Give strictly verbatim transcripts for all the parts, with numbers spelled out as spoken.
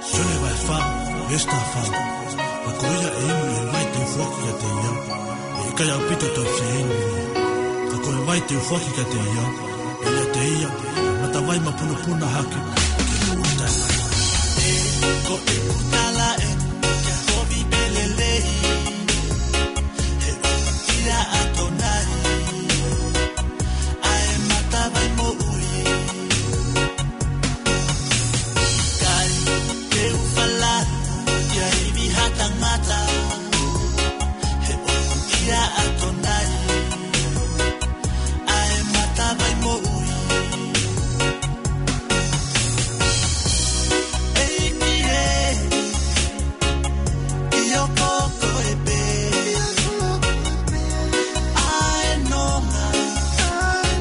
Sione vahe fā, veesi taha fā. Ka ko ia ʻe inu ʻi he vai te u foaki kiate ia, ʻe ʻikai ʻaupito tau fie inu ia. Ka ko e vai te u foaki kiate ia, ʻe ʻiate ia ʻa e matavai mapunopuna hake ki he moʻui taʻengata. Ko ʻeku tala ē, ke kovi pē lelei, he ʻoku ʻia ʻAtonai ʻa e matavai moʻui. ʻIkai te u falala ki ha ivi ha tangata, he ʻoku ʻia ʻAtonai ʻa e matavai moʻui. ʻEiki ē, ʻio ko koe pē ʻa e nonga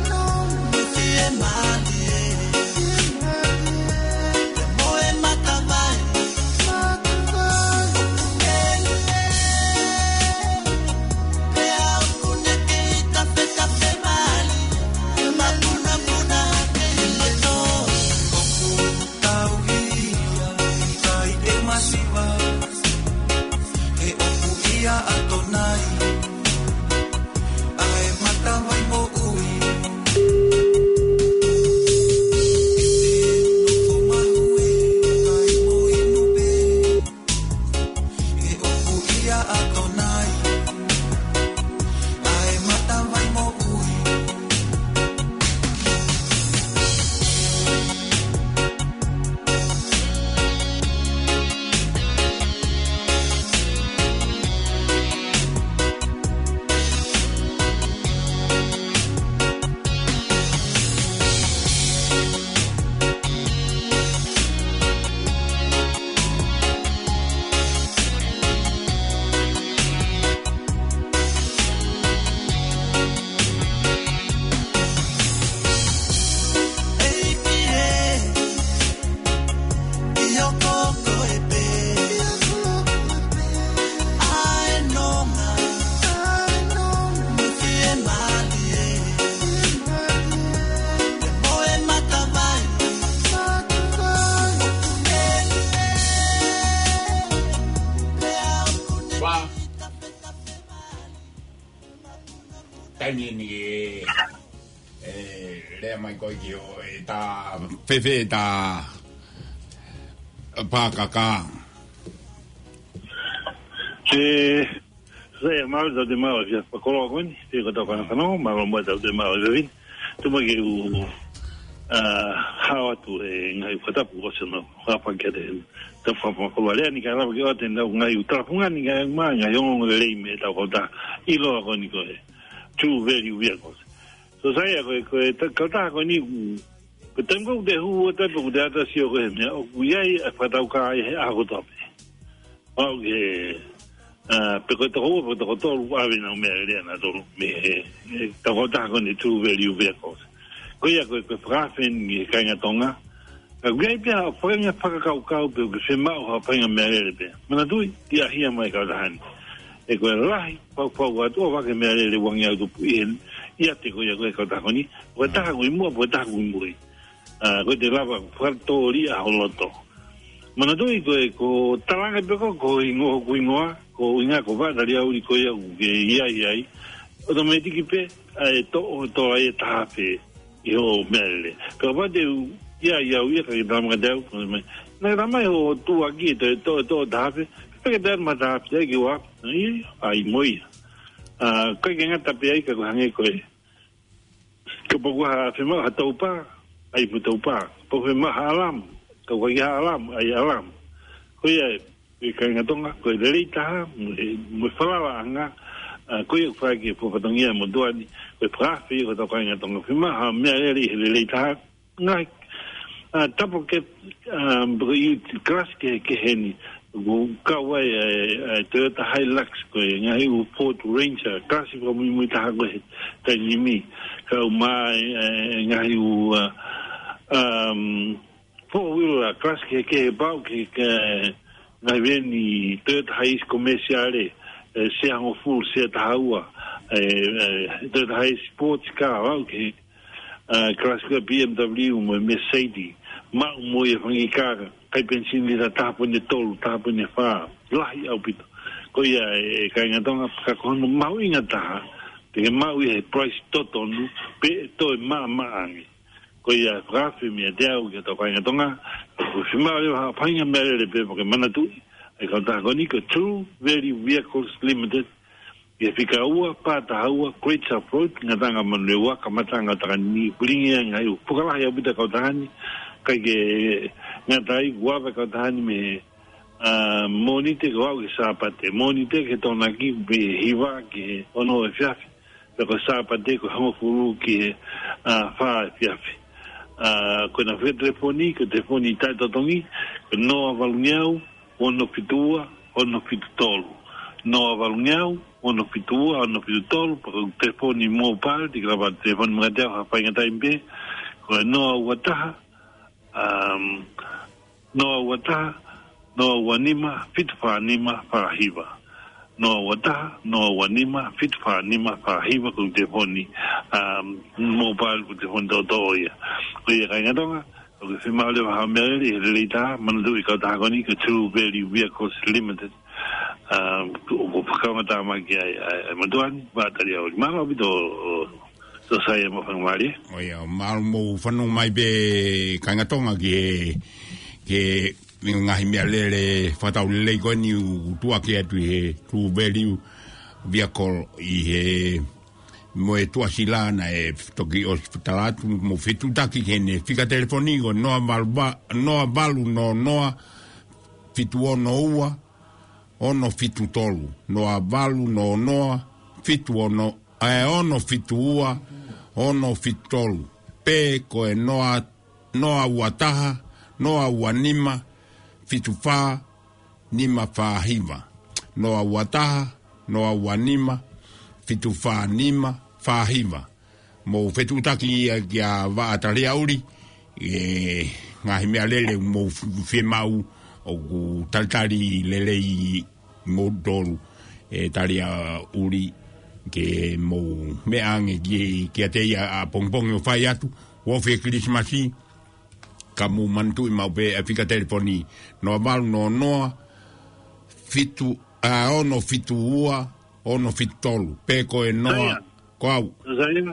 mo e fiemālie, mo e matavai. Pea ʻoku ne kei tafetafe mai, mapunopuna hake ʻi loto. ʻOku tauhi ia, ʻikai te u masiva, he ʻoku ʻia ʻAtonai ʻa e matavai moʻui. ʻE te nofo mahuʻinga mo inu pē, he ʻoku ʻia ʻAtonai ʻa e matavai moʻui. ʻIo ko koe pē ʻa e nonga mo e fiemālie, mo e matavai. Pea ʻoku ne Pā. Taimi ni ē, ʻe lea mai koe ki ʻo e ta fefe ta pākaka. Ke sai a mau tau te mau ia fakolo ko eni, te ko tau kana kano, mālō mo tau te mau ia vin. Tu mai ke u, ʻa, hao atu e ngaahi fakatapu ʻosi ʻo nau hapa ke te tau fakapakolo. Lea ni ka lava ke ʻoatu e nau ngaahi u talafunga ni ngaahi ma, ngaahi ongo lelei mei he tau kautaha. ʻIloa ko eni ko e True Value Vehicles. So sai a ko e, ko e ta-, kautaha ko eni, ko e taimi ko ē te hū ʻo tapu ko te ata sio ko e meʻa, ʻoku ʻi ai e fakatau ka ai he ʻaho kotoa pē. ʻO ke, ʻa, pe ko e toko ua, pe ko e toko tolu, ʻave nau meʻalele ʻanautolu mei he, he tau kautaha ko eni True Value Vehicles. Ko ia ko e, ko e fakaafe eni ki he kāinga Tonga. Ka ʻoku ʻi ai pē ha faʻahinga fakakaukau pe ʻoku ke fiemaʻu ha faʻahinga meʻalele pē. Manatuʻi, ʻi ai ha meʻa mai kautaha ni. ʻE ko e lahi, fau fau atu ʻo vake meʻalele uangi au tupu ʻi heni, ʻiate ko ia ko e kautaha ko eni, ko e taha ʻoku ʻi muʻa, ko e taha ʻoku ʻi mui. ʻA, ko e te lava, fakatōliʻa ho loto. Manatuʻi ko e, ko talanga pe ko, ko hingoa, ko hingoa, ko hinga ko vata lia uli ko ia ʻoku ke ʻi ai ai. ʻOtomētiki pē, ʻa e toʻo, toʻo ai e taha pē ʻi hoʻo meʻalele. Ka ʻoua te u, ia, ia, ia, ka ke tama ka te au, ko mai. Na ka mai ho tuʻa ki, te, to, to, taha pē. Pe ke te ma taha pē, ki ua, ia, ia, ʻai mo ia. ʻA, kai ke ngata pē ai ka ko hangē ko e. Ka pau ko ha fiemaʻu ha taupa, ʻai mo taupa. Pau fiemaʻu ha alarm, ka ʻoku ʻikai ha alarm, ʻai alarm. Ko ia, e kāinga Tonga, ko e lelei taha, mo e, mo e falalaʻanga, ʻa, ko ia ʻoku fai ki he fatongia mo tuani, ko e fakaafe ko e tau kāinga Tonga. Fiemaʻu ha meʻalele he lelei taha, ngaahi, ʻa, double cab, ʻa, ko e kalasi kehe, kehe ni, ʻoku kau ai, ʻa, ʻa, Toyota Hilux, ko e ngaahi ʻū Ford Ranger, kalasi fakamuimui taha ko e taimi ni, kau mai, ʻa, ngaahi ʻū, ʻa, um, four wheeler, kalasi kehe, kehe pau ki he, ngaahi veni Toyota Hiace commercial, ʻe, sea hongofulu, sea taha ua, ʻe, ʻe, Toyota Hiace sports car, pau ki he, ʻa, kalasi ko e B M W mo e Mercedes. Maʻu mo ia fanga kiʻi kā, kai penisini lita taha poini tolu, taha poini fā, lahi ʻaupito. Ko ia e, e kāinga Tonga, ka ko hono mahuʻinga taha, te ke maʻu ia he price totonu, pea toe maʻamaʻa ange. Ko ia fakaafe meiate au ki he tau kāinga Tonga, ʻoku fiemaʻu leva ha faʻahinga meʻalele pē mo ke manatuʻi, ʻa e kautaha ko eni ko e True Value Vehicles Limited, ʻi he fika ua, pā taha ua, Great South Road, Ngataʻanga Manurewa, kamataʻanga ʻo Takani, pulingi ʻa e ngaahi ʻū fuka lahi ʻaupito ʻa e kautaha ni, kae ʻikai ke ngata ai, ʻoku ava ʻa e kautaha ni mei he, ʻa, Mōnite ko ē ki he Sāpate, Mōnite ki he Tokonaki, mei he hiva ki he ono efiafi, pea ko e Sāpate ko e hongofulu ki he, ʻa, fā efiafi. ʻA, ko ʻena fika telefoni, ko e telefoni taʻetotongi, ko e noa valungeau, ono fitu ua, ono fitu tolu. Noa valungeau, ono fitu ua, ono fitu tolu, pea ko e telefoni mobile, te ke lava telefoni meiate au ha faʻahinga taimi pē, ko e noa ua taha, um, noa ua taha, noa ua nima, fitu fā nima, fā hiva. Noa ua taha, noa ua nima, fitu fā nima, fā hiva ko e telefoni, um, mobile ko e telefoni toʻotoʻo ia. Ko ia kāinga Tonga, ʻoku fiemaʻu leva ha meʻalele, he lelei taha, manatuʻi e kautaha ko eni ko e True Value Vehicles Limited. Um, ʻoku, ʻoku fakaongo tāmaki ai, ai, ai, Matuani, Vaʻa Taliaʻuli. Mālō ʻaupito, ʻo, ʻo, Sōsaia mo e faingamālie. ʻO ia, mālō hoʻomou fanongo mai pē kāinga Tonga ki he, ki he ngaahi meʻalele fakataulelei ko eni ʻoku tuʻuaki atu ʻi he True Value Vehicle ʻi he mo e tuʻasila naʻe toki ʻosi tala atu mo fetuʻutaki ki heʻene fika telefoni ko e noa valu va-, noa valu noa noa, fitu ono ua, ono fitu tolu, noa valu noa noa, fitu ono, ʻa e ono fitu ua, ono fitu tolu, pe ko e noa, noa ua taha, noa ua nima, fitu fā, nima fā hiva. Noa ua taha, noa ua nima, fitu fā nima, fā hiva. Mou fetuʻutaki ia kia Vaʻa Taliaʻuli, e ngaahi meʻalele mou f-, fiemaʻu ʻoku talitali lelei moutolu, e Taliaʻuli ke mou meʻa ange ki, kiate ia ʻapongipongi ʻo fai atu, ʻoku ofi e Kilisimasi, ka mou manatuʻi maʻu pē e fika telefoni, noa valu noa noa, fitu, ʻa, ono fitu ua, ono fitu tolu, pe ko e noa, Sōsaia. Ko au. Sōsaia.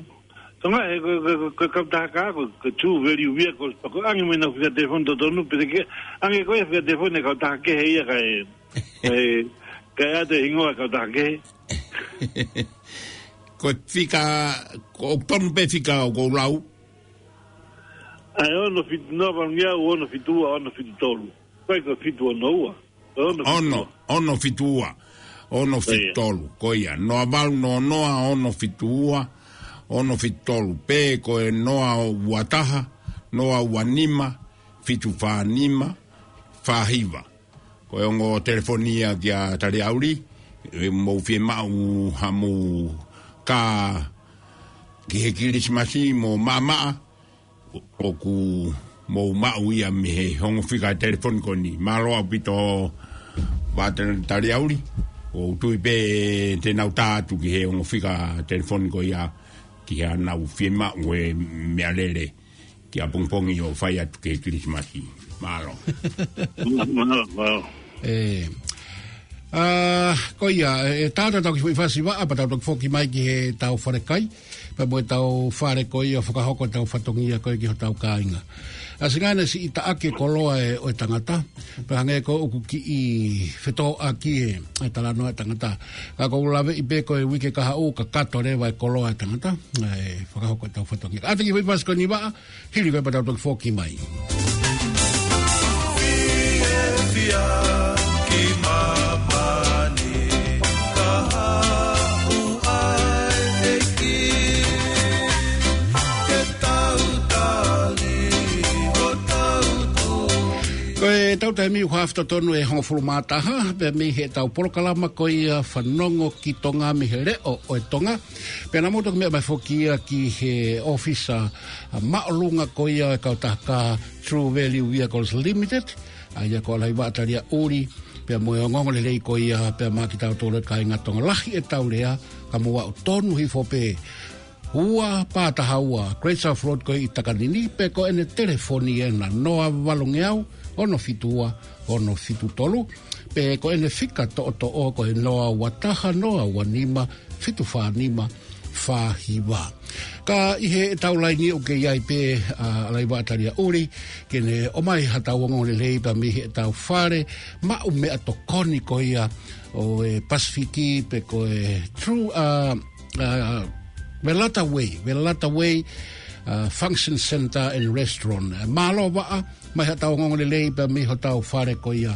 Tonga, e, ko, ko, ko, ko e kautaha kā, ko, ko e True Value Vehicles, pea ko e ʻange mai ʻena fika telefoni totonu, pe te ke ʻange koe e fika telefoni e kautaha kehe ia kae, e, kae ʻoatu e hingoa e kautaha kehe. Ko e fika, ko, ʻoku tonu pē fika ʻoku ou lau. ʻA e ono fitu, noa valu ngeau, ono fitu ua, ono fitu tolu. Ko e ko e fitu ono ua. Ko e ono fitu ua. Ono, ono fitu ua. Ono fitu tolu. Ko ia. Ko ia. Noa valu noa noa, ono fitu ua, ono fitu tolu. Pe ko e noa ua taha, noa ua nima, fitu fā nima, fā hiva. Ko e ongo telefoni ia kia Taliaʻuli, e mou fiemaʻu haʻamou kā ki he Kilisimasi mo maʻamaʻa, ʻoku mou maʻu ia mei he ongo fika telefoni ko eni. Mālō ʻaupito Vaʻa Taliaʻuli, ʻoku ou tui pē te nau tā atu ki he ongo fika telefoni ko ia ki haʻanau fiemaʻu e meʻalele ki ʻapongipongi ʻo fai atu ki he Kilisimasi. Mālō. Mālō, mālō. E. ʻA, ko ia, e, tā atu ʻetau kiʻi foʻi fasi vaʻa, pea tau toki foki mai ki heʻetau fale kai, pea mo ʻetau fale ko ia ʻo fakahoko ʻetau fatongia ko ē ki hotau kāinga. ʻA, singane siʻi taʻaki e koloa e, ʻo e tangata, pea hangē ko ē ʻoku kiʻi fetōʻaki e, e talanoa e tangata. Ka ʻoku ou laveʻi pē ko e uike kahaʻu, kakato leva e koloa e tangata, ʻa e fakahoko ʻetau fatongia. ʻA, tā e kiʻi foʻi fasi ko eni vaʻa, hili ko ē pea tau toki foki mai. Fiefia ki māmani, kahaʻu ʻa e ʻEiki, ke tau tali ʻo tau tui. Ko ʻetau taimi ʻoku haʻu totonu e hongofulu mā taha, pea mei heʻetau polokalama ko ia Fanongo ki Tonga mei he Leʻo ʻo e Tonga. Pea naʻa mou toki meʻa mai foki ia ki he ʻōfisa, ʻa, māʻolunga ko ia e kautaha kā True Value Vehicles Limited, ʻa ia ko Lahi Vaʻa Taliaʻuli, pea mo e ongoongolelei ko ia, pea maʻa kitautolu e kāinga Tonga, lahi ʻetau lea, ka mou aʻu tonu hifo pē ua pā taha ua, Great South Road ko ē ʻi Takanini, pe ko ʻene telefoni ʻe noa valungeau, ono fitu ua, ono fitu tolu, pe ko ʻene fika toʻotoʻo ko e noa ua taha, noa ua nima, fitu fā nima, fā hiva. Ka ʻi heʻetau laini ʻoku kei ʻi ai pē, ʻa, ʻa Laiva Taliaʻuli, ke ne ʻomai haʻatau ongoongolelei pea mei heʻetau fale maʻu meʻatokoni ko ia ʻo e Pasifiki pe ko e True, ʻa, ʻa, Velata Way, Velata Way, ʻa, Function Center and Restaurant. Mālō Vaʻa, mai haʻatau ongoongolelei pea mei hotau fale ko ia.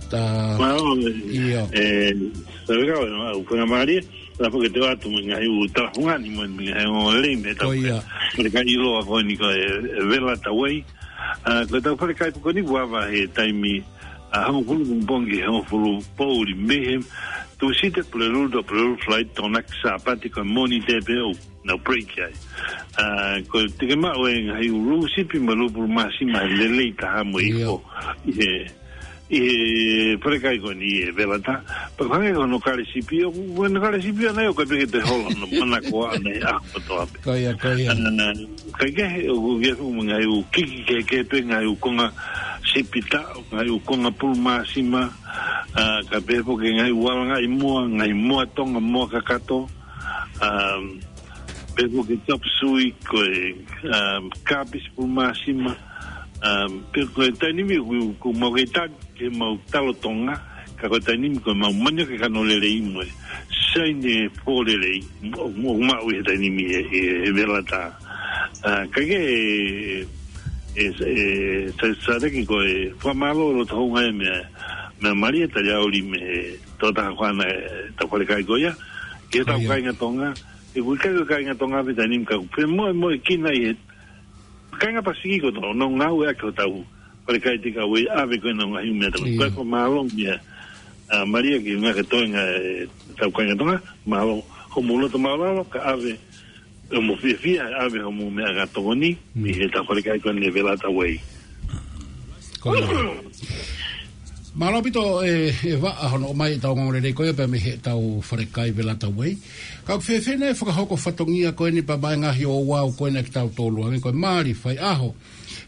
Ta, Mālō, ʻio. ʻE, Savikao, ʻe, ʻoku ou fakamālō, la foke te atu mo e ngaahi ʻū talafungani mo e ngaahi ongoongolelei mei heʻetau Ko ia. Fale kai ʻiloa ko eni ko e, ʻe Velata Way. ʻA, ko ʻetau fale kai ko eni ʻoku ava he taimi, ʻa, hongofulu pongipongi, hongofulu poʻuli mei he Tūsite, Pulelulu, to Pulelulu flight, Tokonaki, Sāpate, ko e Mōnite pē ʻoku nau break ai. ʻA, ko e teke maʻu e ngaahi ʻū lūsipi mo e lūpulu māsima lelei taha mo ʻIo. ʻIfo. ʻI he, ʻi he fale kai ko eni ʻe Velata. Pea ko e hangē ko hono kale sipi ʻoku, ko hono kale sipi ʻana ʻoku ʻikai pē ke toe hola, no, mana ko ʻana ʻi he ʻaho kotoa pē. Ko ia, ko ia. ʻA, kaikehe, ʻoku ʻi ai foki mo e ngaahi ʻū kiki kehekehe pē, ngaahi ʻū konga sipi taʻo, ngaahi ʻū konga pulu māsima, ʻa, kae pehē foki ngaahi ʻū alangaʻi moa, ngaahi moa Tonga, moa kakato, ʻa, pehē foki chop suey, ko e, ʻa, kāpisi pulu māsima, ʻa, pea ko e taimi ni ʻoku, ʻoku mau kei tali ke mau talo Tonga, ka ko e taimi ni ko e mau manioke kano lelei mo e saini fō lelei, mo, mo, maʻu ʻi he taimi ni ʻe, ʻe, ʻe Velata. ʻA, kaikehe, ʻe, ʻe, ʻe, sa, sa teki ko e fakamālō loto hounga ʻe meʻa, meʻa Malia Taliaʻuli mei he tokotaha ko ʻana ʻetau fale kai ko ia, ke Ko tau ia. Kāinga Tonga, ʻoku ʻikai ko e kāinga Tonga pē he taimi ni ka ʻoku femoʻuekina ʻi he kāinga Pasifiki kotoa, ʻoku nau ngāueʻaki hotau fale kai takeaway, ʻave ko ē ʻenau ngaahi ʻū meʻatokoni. ʻIo. Ko e fakamālō meʻa, ʻa, Malia ki he ngaahi toenga ʻetau kāinga Tonga, mālō hoʻomou loto māʻulalo, kae ʻave hoʻomou fiefia, ʻave hoʻomou meʻatokoni, Mm. ʻi heʻetau fale kai ko eni ʻe Velata Way. Ko ia. Mālō ʻaupito ʻe, ʻe Vaʻa hono ʻomai ʻetau ongoongolelei ko ia pea mei heʻetau fale kai Velata Way. Ka ʻoku fēfē nai e fakahoko fatongia ko eni pea mo e ngaahi ouau ko eni ʻa kitautolu, hangē ko e mali, faiʻaho,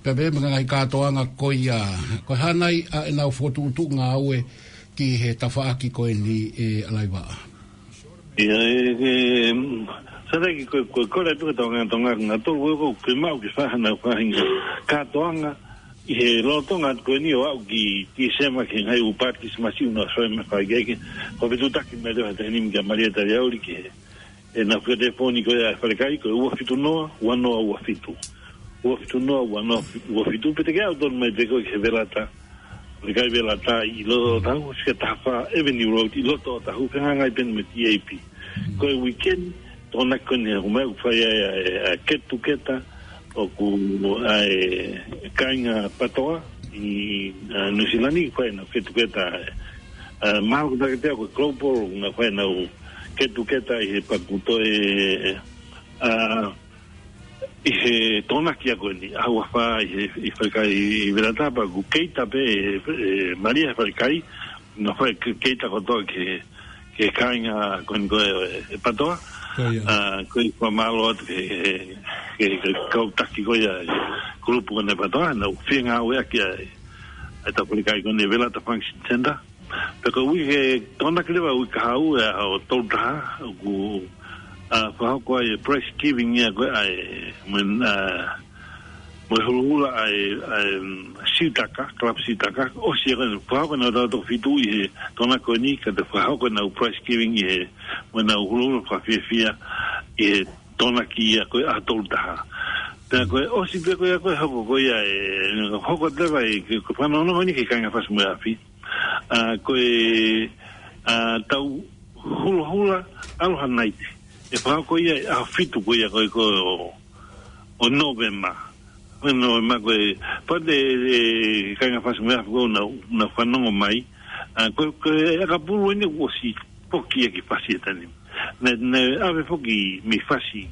pea pehē mo e ngaahi kātoanga ko ia, ko e hā nai ʻa ʻenau fokotuʻutuʻu ngāue ki he tafaʻaki ko eni ʻe Laiva? ʻIo, ʻe, ʻe, mm, sa teki ko, ko, ko e tuʻu ʻetau kāinga Tonga, kāinga Tonga, ko, ko, ke maʻu ke fai haʻanau faʻahinga kātoanga ʻi he lolotonga ko eni ʻo aʻu ki Tīsema ki he ngaahi ʻū paati Kilisimasi ʻoku nau soi mai fai ke, ke, ko e fetuʻutaki mai leva he taimi ni kia Malia Taliaʻuli ki he, ʻenau fika telefoni ko ia ʻa e fale kai ko e ua fitu noa, ua noa ua fitu. Ua fitu noa, ua noa ua fitu, pe te ke aʻu tonu mai pē koe ki he Velata. Fale kai Velata ʻi loto Ōtahuhu, fika taha fā Avenue Road, ʻi loto Ōtahuhu, fehangahangai pē mo e T A P. Ko e weekend, Tokonaki ko eni ʻoku mai ʻoku fai ai ʻa e, ʻa e get together, ʻoku ʻa e kāinga PATOA ʻi, ʻa, Nuʻusila ni, fai ʻenau get together, ʻa, mahalo ko e taketea ko e Global, ʻoku nau fai ʻenau get together ʻi he paku toe, ʻa, ʻi he Tokonaki ko eni, ʻaho ua fā ʻi he, ʻi he fale kai ʻi Velata pea ʻoku cater pē ʻe, ʻe Malia he fale kai, ʻoku nau fai ke-, cater kotoa ki he, ki he kāinga ko eni ko e, ʻe PATOA. Ko ia. ʻA, ko e fakamālō atu ki he, ki he, ki he kau taki ko ia, kulupu ko eni ʻa e PATOA, nau fie ngāueʻaki ʻa e, ʻa ʻetau fale kai ko eni Velata Function Center. Pea ko e uike Tokonaki leva uike kahaʻu ʻe ʻaho tolu taha, ʻoku, ʻa, fakahoko ai e prize giving ia ko ē ʻa e, mo e, ʻa, mo e huluhulu ʻa e, ʻa e, mm, Siutaka, Club Siutaka, ʻosi ia ko ē, fakahoko ʻenau taʻu toko fitu ʻi he Tokonaki ko eni, ka te fakahoko ʻenau prize giving ʻi he, mo ʻenau huluhulu fakafiefia ʻi he Tokonaki ia ko ē ʻaho tolu taha. Pea ko e ʻosi pē ko ia ko e hoko ko ia ʻe, hoko leva ʻe, ke, ko e fanongo ni ki he kāinga Fasi mo e Afi. ʻA, ko e, ʻa, tau huluhulu Aloha Night. ʻE fakahoko ia ʻi he ʻaho fitu ko ia ko ē ko ē ʻo, ʻo Nōvema. Ko Nōvema ko e, pea te, ʻe, kāinga Fasi mo e Afi ʻoku nau, nau fanongo mai. ʻA, ko, ko e ʻakapulu eni ʻoku ʻosi foki ia ki Fasi he taimi ni. Naʻe, naʻe ʻave foki mei Fasi,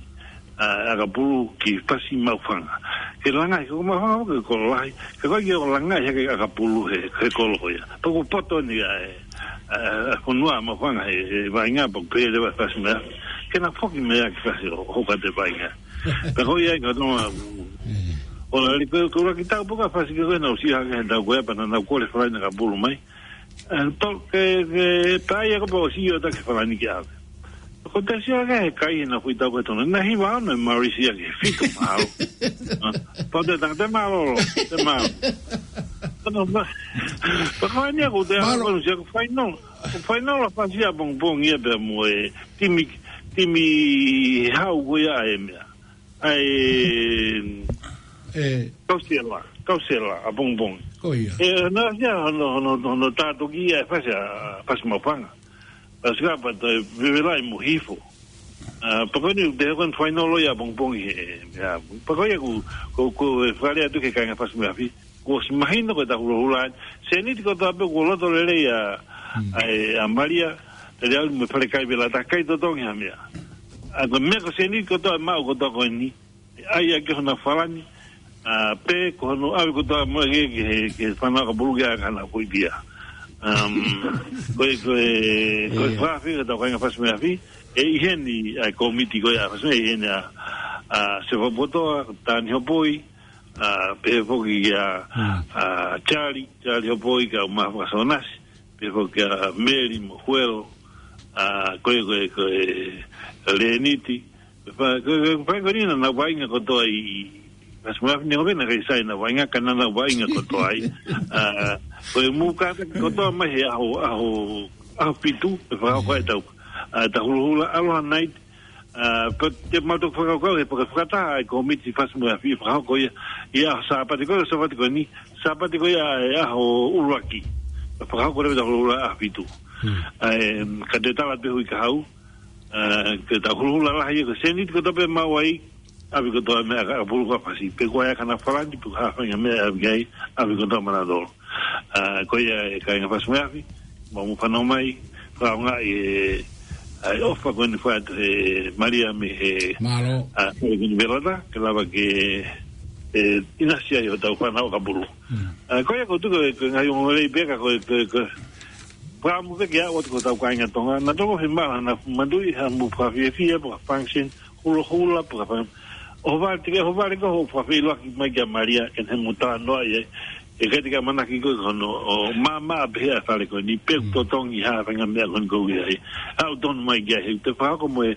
ʻa, ʻakapulu ki Fasi Maʻufanga. Ke langaʻi, ko Maʻufanga ko e kolo lahi, ka ko e ʻikai ke langaʻi hake ʻakapulu he, he kolo ko ia. Pea ʻoku poto eni ʻa e, ʻa, ʻa e fonua Maʻufanga he, he vaʻinga pea ʻoku pehē leva Fasi mo e Afi. Ke na foki mai ʻaki fasi ʻo, ʻo ka te vaʻinga. Pea ko ia ʻi ka tonga, ʻo la li ko, ko la ki tau poka fasi ke koe na usi hake he tau koe pea na na kole falani ka pulu mai. Eh, to, ke, ke, pea ia ko pea usi ʻo ta ke falani ke ave. Ko te sia ke he kai na fui tau koe tona. Na hiva ana e Mauritius ke fitu mahalo. Ah, pea te tanga te mālōlō, te mālō. Ano, ma, pea ko eni ko te Mālō. Ano, ko sia ko final. Ko final a fasi a pongpong ia pea mo e timi, timi hau ko ia e mea. Ai, ʻE. Kausela, kausela, a pongpong. Ko ia. E, na sia, no, no, no, no, tātoki ia e fasi, a, fasi mafanga. Fasi ka pa te vevela i mo hifo. Ah, pea ko eni te kon final ia pongpong he, ia, pea ko ia ku, ku, ku e fale atu ke kainga fasi mo afi. Ko si mahino ko e ta hulahula. Seniti ko ta pe ko loto lele ia, Mm. ai, a Malia, te le au mo fale kai vela ta kai totongi ha mea. A ko mea ko seniti ko ta mau ko ta ko eni. Ai a ke hona falani, a, pe ko hono ave ko ta mo ke, ke, ke fana ka bulu ke a kana ko i pia. Um, ko e, ko e, ko e Ia. fafi, ko ta ko inga fasi mo afi. E i heni, a komiti ko ia, fasi mo i heni a, a, se fapotoa, tani hopoi, a, pe foki ia, Mm. a, Charlie, Charlie hopoi ka ma fakasonasi, pe foki a Meli mo Huelo, a, ko e, ko e, ko e, Leniti, pe fa, ko e, ko e, ko e, ko e, na, na vaʻinga ko toa i, fasi mo afi ni ko pena kai sai na vaʻinga ka na na vaʻinga ko toa i, a, ko e muka ko toa mai he aho, aho, aho fitu, pe fa ko e tau, a, ta hulahula, aloha night, a, pe te mau toki fakakaukau, he paka fakataha ai komiti fasi mo afi, fakahoko ia, ia Sāpate ko, Sāpate ko ni, Sāpate ko ia, e aho ʻuluaki. Fakahoko leva ta hulahula aho fitu. Hmm. A, em, ka te tala pe hui ka hau, a, ke ta hulahula lahi ia ko seniti ko ta pe mau ai, avi ko ta mea ka pulu ka fasi. Pe ko ia kana falani, pe ko ha fainga mea avi ai, avi ko ta mana dolo. A, ko ia e kainga fasi mo afi, mau mo fano mai, fakaonga e, a, e ʻofa ko eni fatu he Malia me he, Mālō. a, ko eni velata, ke lava ke, e, ina sia i o tau fana o ka pulu. Mm. A, ko ia ko tuko e, ko ngai ongo lei peka ko, ko, ko, Pea mo ke ke a ʻoatu ko tau kainga Tonga, na toko he mala na matui ha mo fakafiefia, pea function, hulahula, pea fun-, ʻo vale te ke, ʻo vale ko ho fakafeʻiloaki mai kia Malia, ke ne mo talanoa ia, e ke te ka manaki ko hono, ʻo mama a pehe a fale ko ni, pe Mm. totongi ha fainga mea ko ni ko ia ai. ʻOku tonu mai kia he, te fakahoko mo e,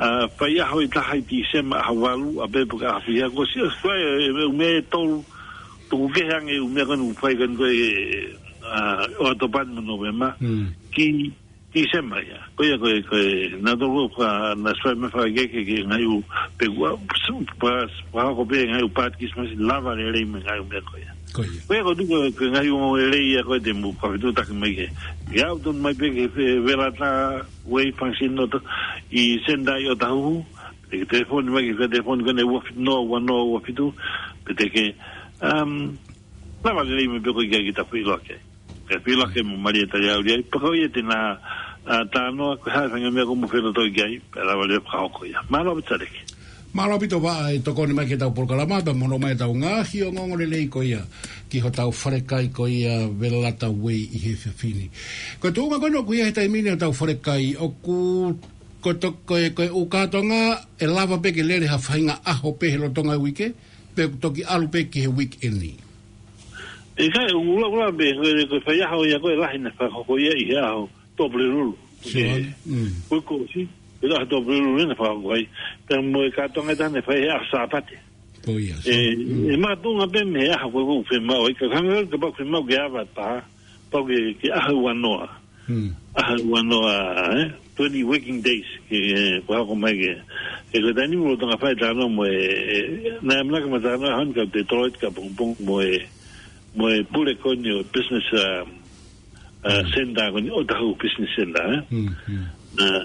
a, fai aho ʻe taha ʻi Tīsema, aho valu, a pe pea ka afi ha ko si, a fai, e, e, me tolu, tuku ke hange, e, me ko ni fai ko ni ko e, a, ʻOkatopa mo Nōvema. Mm. Ki Tīsema ia. Ko ia, ko e, ko e, na toko fa, na sua me fa ke, ke, ke ngai u, pe ua, pa, pa ko pe ngai u pat Christmas lava lelei mo ngai u mea ko ia. Ko ia. Ko ia ko tuko, ko ngai u lelei ia ko e te mo ka fitu taki mai ke. Ia ʻoku tonu mai pe ke fe, velata, wei function noto, ʻi Sendai ʻo Tahuhu, pe ke telefoni mai ke fe telefoni ko ne ua fitu noa, ua noa, ua fitu, pe te ke, um, lava lelei mo pe ko ia ki ta feʻiloaki. Ke feʻiloaki mo Malia Taliauli ai, pea ko ia te na, a, talanoa, ko e hā e fainga mea ko mo fenatoi ki ai, pea lava lelei fakahoko ia. Mālō ʻaupito Saleki. Mālō ʻaupito Vaʻa e tokoni mai ki he tau polokalama, pea mo hono mai tau ngaahi ongoongo lelei ko ia, ki hotau falekai ko ia Velata Wei ʻi he efiafi ni. Ko e tuʻunga ko ena ʻoku ʻi ai he taimi ni hotau falekai, ʻoku, ko to, ko e, ko e ʻū kātoanga, ʻe lava pe ke lele ha faʻahinga ʻaho pe he lolotonga e uike, pe ʻoku toki ʻalu pe ki he weekend. ʻIkai, ʻoku lahi, lahi pe, ko e, ko e faiʻaho ia ko e lahi naʻe fakahoko ia ʻi he ʻaho Tuʻapulelulu. Sio ange. Mm. Ko e kuo ʻosi, ko e ʻaho Tuʻapulelulu naʻe fakahoko ai. Pea mo e kātoanga ʻe taha naʻe fai he ʻaho Sāpate. Ko ia, ʻe, sio. Mm. ʻE makatuʻunga pe mei he ʻaho ko ē ʻoku fiemaʻu ai, ka hangē kapau ʻoku fiemaʻu ke ava taha, pau ke, ke ʻaho ua noa. Hmm. ʻAho ua noa, eh? Twenty working days, ke, ke fakahoko mai ke. He ko e taimi ni ʻoku tau fai talanoa mo e, e, naʻe ʻamanaki mo talanoa hon ka te tolo atu ka pongpong mo e, mo e pule ko eni ʻo business, um, uh, Hmm. center ko eni ʻo Tahu Business Center, eh? Hmm, hmm. Uh,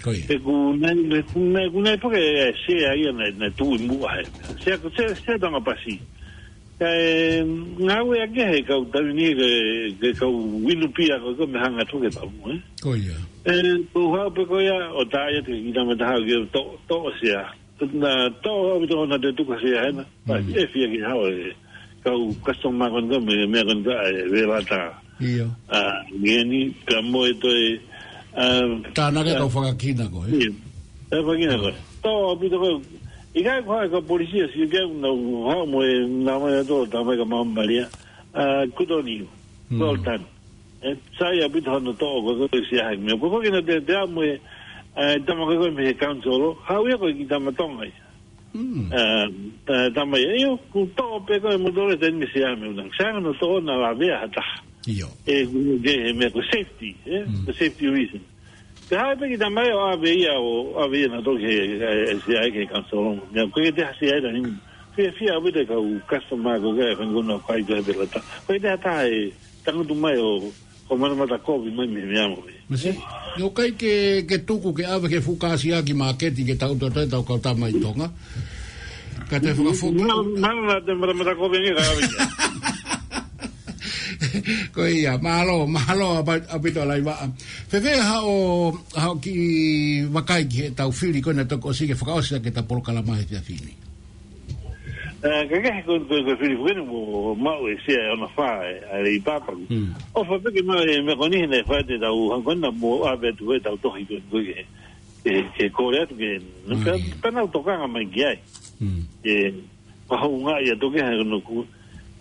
Ko ia. He ʻoku nai, he ʻoku nai, ʻoku nai pake, eh, sea ia naʻe, naʻe tuʻu ʻi muʻa he. Sea, sea, sea Tonga Pasi. Kae ngāueʻaki he kau taimi ni ke, ke kau inu pia ko ē ko e meʻa hanga atu ke tau, eh? Ko ia. ʻE, ko e hā pe ko ia, ʻo tā ia te kita mataha ke to, to sea. Na to, ʻo to na te tuka sea hena. Pea Mm. ʻe fia ke hao e kau customer ko ē ko e meʻa, meʻa ko ē ko e, e, velata. ʻIo. A, ngeni, ka mo e toe, Um, Tānaki ʻa e kau fakakina ko ē. Ia. E fakakina ko ē. Tō ʻaupito ko ē. ʻIkai ko ha ka polisi a si ke na ha mo e na mai to ta mai ka mamalia. Uh, good on you. Well done. E sai ʻaupito hano tō ko ē ko e sia hai. Mea ko ko kina te te a mo e, e tama ko ē ko e mei he council. Hau ia ko e ki tama Tonga ia. Mm. Eh, eh, tama ia, io, ku toʻo pē ko e motore teni me se ame unang. Sa no toʻo na la vea hata. Io. E, ku ke he me ko safety, eh, the safety reason. Te hai pē ki tama ia o ʻave ia o, ʻave ia na toki he, eh, se ai ke kansolo. Mea ko ke te hasi ai la ni. Fia, fia ʻave te kau customer ko ke, kan kuna kai ke he pelata. Ko ke te hata e, tangutu mai o, ko mana mata kovi mai me, me amo me. Masi, ʻio kai ke, ke tuku ke ʻave ke fuka sia ki māketi ke tau tō tau kau tama ʻi Tonga. Ka te fuka fuka. Mana, mana te mata mata kovi nge ka ʻave. Ko ia, mālō, mālō ʻaupito ʻa Laivaʻa. Fēfē haʻo, haʻo kiʻi vakai ki he tau fili ko ena toko ʻosi ke fakaʻosi ake tau polokalama he efiafi ni. Eh, ka ke ko, ko, ko fili fuka ni mo, maʻu e sia e ona fa e, a le i papa. Mm. ʻOfa pē ke maʻu e mea ko ni he ne fa te tau, hangkona mo ʻave atu e tau tohi ko, ko ke, ke, ke kole atu ke, ka, ka nau tokanga mai ki ai. Mm. E, pahounga ia toke ha no ku.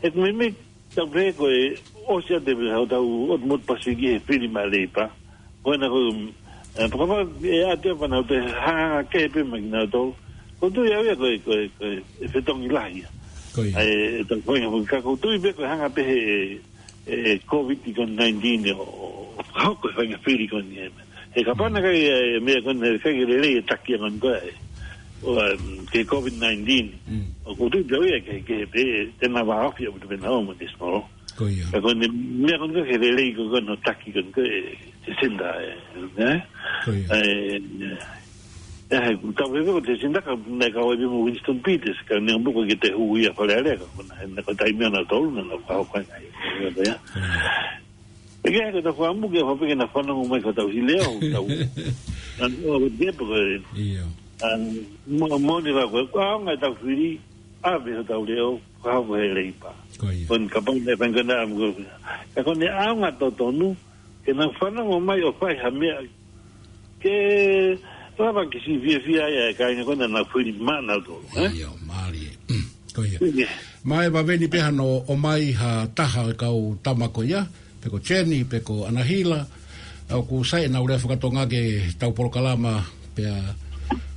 E ku me me, tau pe ko e, o sia te pe hau tau, o mo Pasifiki he fili ma le i pa. Ko ena ko, eh, papa, e a te pa na te ha ke pe ma na to. Ko tu ia ia ko e, ko e, ko e, e fetongi lahi ia. Ko ia. Ai, e tau ko ia, ka ko tu i pe ko hanga pe he, e, COVID ko nineteen o, o, ko e fanga fili ko ni e. E ka pana kai, e, me ko ne kai ke lele e taki a man ko e. O, em, ke COVID nineteen. Mm. O ko tu i pe ia ke, ke pe, te na va ofi o te pe na o mo te smoro. Ko ia. Ka ko ne, mea ko ne ke lelei ko ko no taki ko ko e, te senda e, ne? Ko ia. E, e, he, ku tau veve ko te senda ka, ne ka oi mo Winston Peters, ka ne mbuko ke te hu ia fale ale, ka ko na, ne ko taimi ana tolu, na, na ka ho ka ngai. Ko ia. Ko ia. E ke he ko ta kua mu ke fa pe ke na fanongo mai ko tau hileo, tau. An o ke pe ko e. Ia. An mo, mo ni la ko, ko aonga tau fili, ʻave ho tau leo, ko ha ko he leipa. Ko ia. Kon kapau ne fanga na am ko. Ka ko ne aonga totonu, ke na fanongo mai o fai ha meʻa. Ke lava ke si fiafia ia e kāinga ko na na fili mana to, eh? Ia, mālie. Ko ia. Ia. Mai vaveni pe hano ʻomai ha taha e kau tama ko ia, pe ko Jenny, pe ko Anahila, ʻoku sai ʻenau lea fakatonga ke tau polokalama, pea,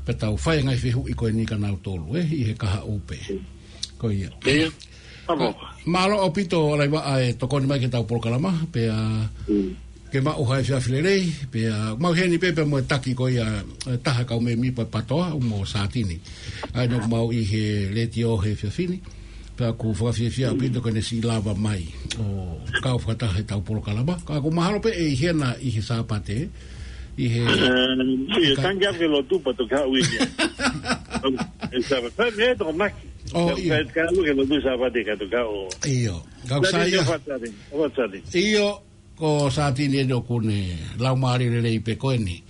pe tau fai ngai fehuʻi ko eni ka nau tolu, eh, ʻi he kahaʻu pē. Ko ia. Ia. Amo. Mālō ʻaupito Laivaʻa e tokoni mai ke tau polokalama, pea, mm, ke maʻu ha efiafi lelei, pea, mau heni pē, pea mo e taki ko ia, e taha kau mēmipa patoa, mo Satini. ʻA ena ʻoku mau ʻi he letiō he efiafi ni. Pea ʻoku fakafiefia ʻaupito ko ʻene siʻi lava mai ʻo kau fakataha he tau polokalama. Ka ʻoku mahalo pē ʻe ʻi hena ʻi he Sāpate, ʻi he, eh, ʻio, ka tangi ake lotu pa toki haʻu ia. E Sāpate, me toko maki. ʻO, ʻio. Ka, ka ʻalu ke lotu Sāpate ka toki haʻu. ʻIo. Ka ʻoku sai ia. Sātini, ʻo Sātini. ʻIo. Ko Satini eni ʻoku ne laumālie lelei pē ko eni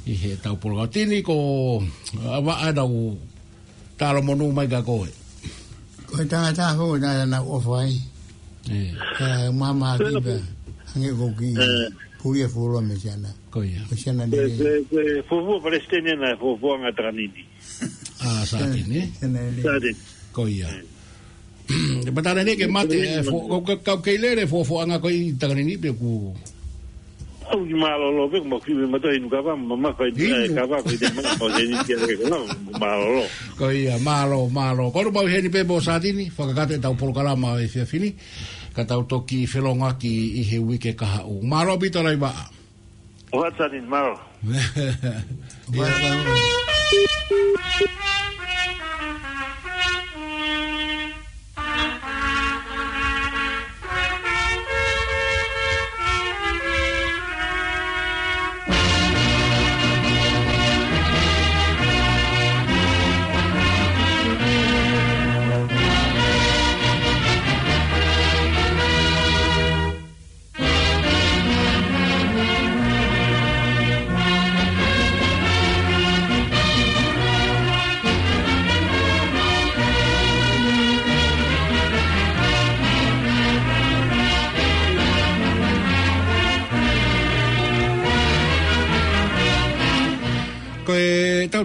ʻi he tau polokalama. Tini ko Avaʻa, nau talomonū mai kia koe. Ko e tangata foʻou na na ʻofa ai. E. Ka mama ki pē, hangē ko ki, e, pulia fulo me siana. Ko ia. Ko siana ko e, lelei. Ko e, ko e fuofua palesiteni na, fuofua ngata kanini. ʻA Satini. Siana lelei. Satini. Ko ia. E. Te patana ne ke mate, e, fo-, kau, kau, kau kei lele, fo-, foʻanga ko ē ʻi Takanini pe ku. ʻOku mālōlō pē, ma ki me mato inu kava, ma, ma fai, inu, e, kava, ko ʻi te ma, ko ʻi te ni tia ke kava, mālōlō. Ko ia, mālō, mālō. Ko ʻoku mau heni pē mo Satini, fakakata e tau polokalama he efiafi ni, ka tau toki felongaki ʻi he uike kahaʻu. Mālō ʻaupito Laivaʻa. What's that in Maro? What's that?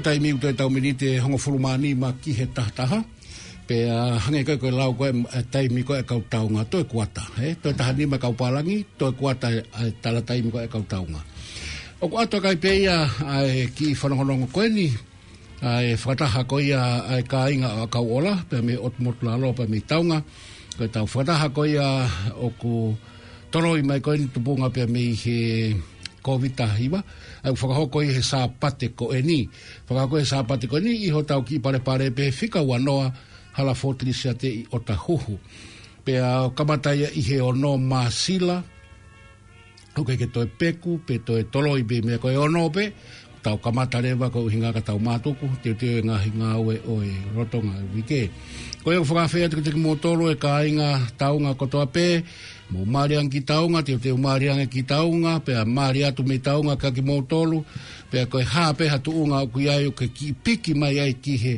Taimi ʻoku toe tau miniti ʻe hongofulu mā nima ki he taha taha. Pea hangē ko e, ko e lau ko e, ʻa e taimi ko e kau taunga, toe kuata, ē? Toe taha nima kau pālangi, toe kuata ʻa e tala taimi ko e kau taunga. ʻOku ʻoatu ʻe he kai pē ia ʻa e kiʻi fanongonongo ko eni, ʻa e fakataha ko ia ʻa e kāinga ʻa Kauʻola, pea mei ʻOtu Motulalo, pea mei Taunga. Ko e tau fakataha ko ia ʻoku toloi mai ko eni tupunga pea mei he Kōviti taha hiva, ʻa ia ʻoku fakahoko ʻi he Sāpate ko eni. Fakahoko he Sāpate ko eni ʻi hotau kiʻi palepale pē he fika ua noa, Hala Fōtilisiate ʻi ʻOtahuhu. Pea kamata ia ʻi he ono Māsila, ʻoku ʻikai ke toe peku, pe toe toloi pē meʻa, ko e ono pē, tau kamata leva ko e ʻuhinga ka tau mātuku, teuteu e ngaahi ngāue ʻo e lolotonga e uike. Ko ia ʻoku fakafeʻao atu kiate kimoutolu e kāinga Taunga kotoa pē, mou mālie ange ki Taunga, teuteu mālie ange ki Taunga, pea mālie atu mei Taunga kia kimoutolu, pea ko e hā pē ha tuʻunga ʻoku ʻi ai ʻoku ke kiʻi piki mai ai ki he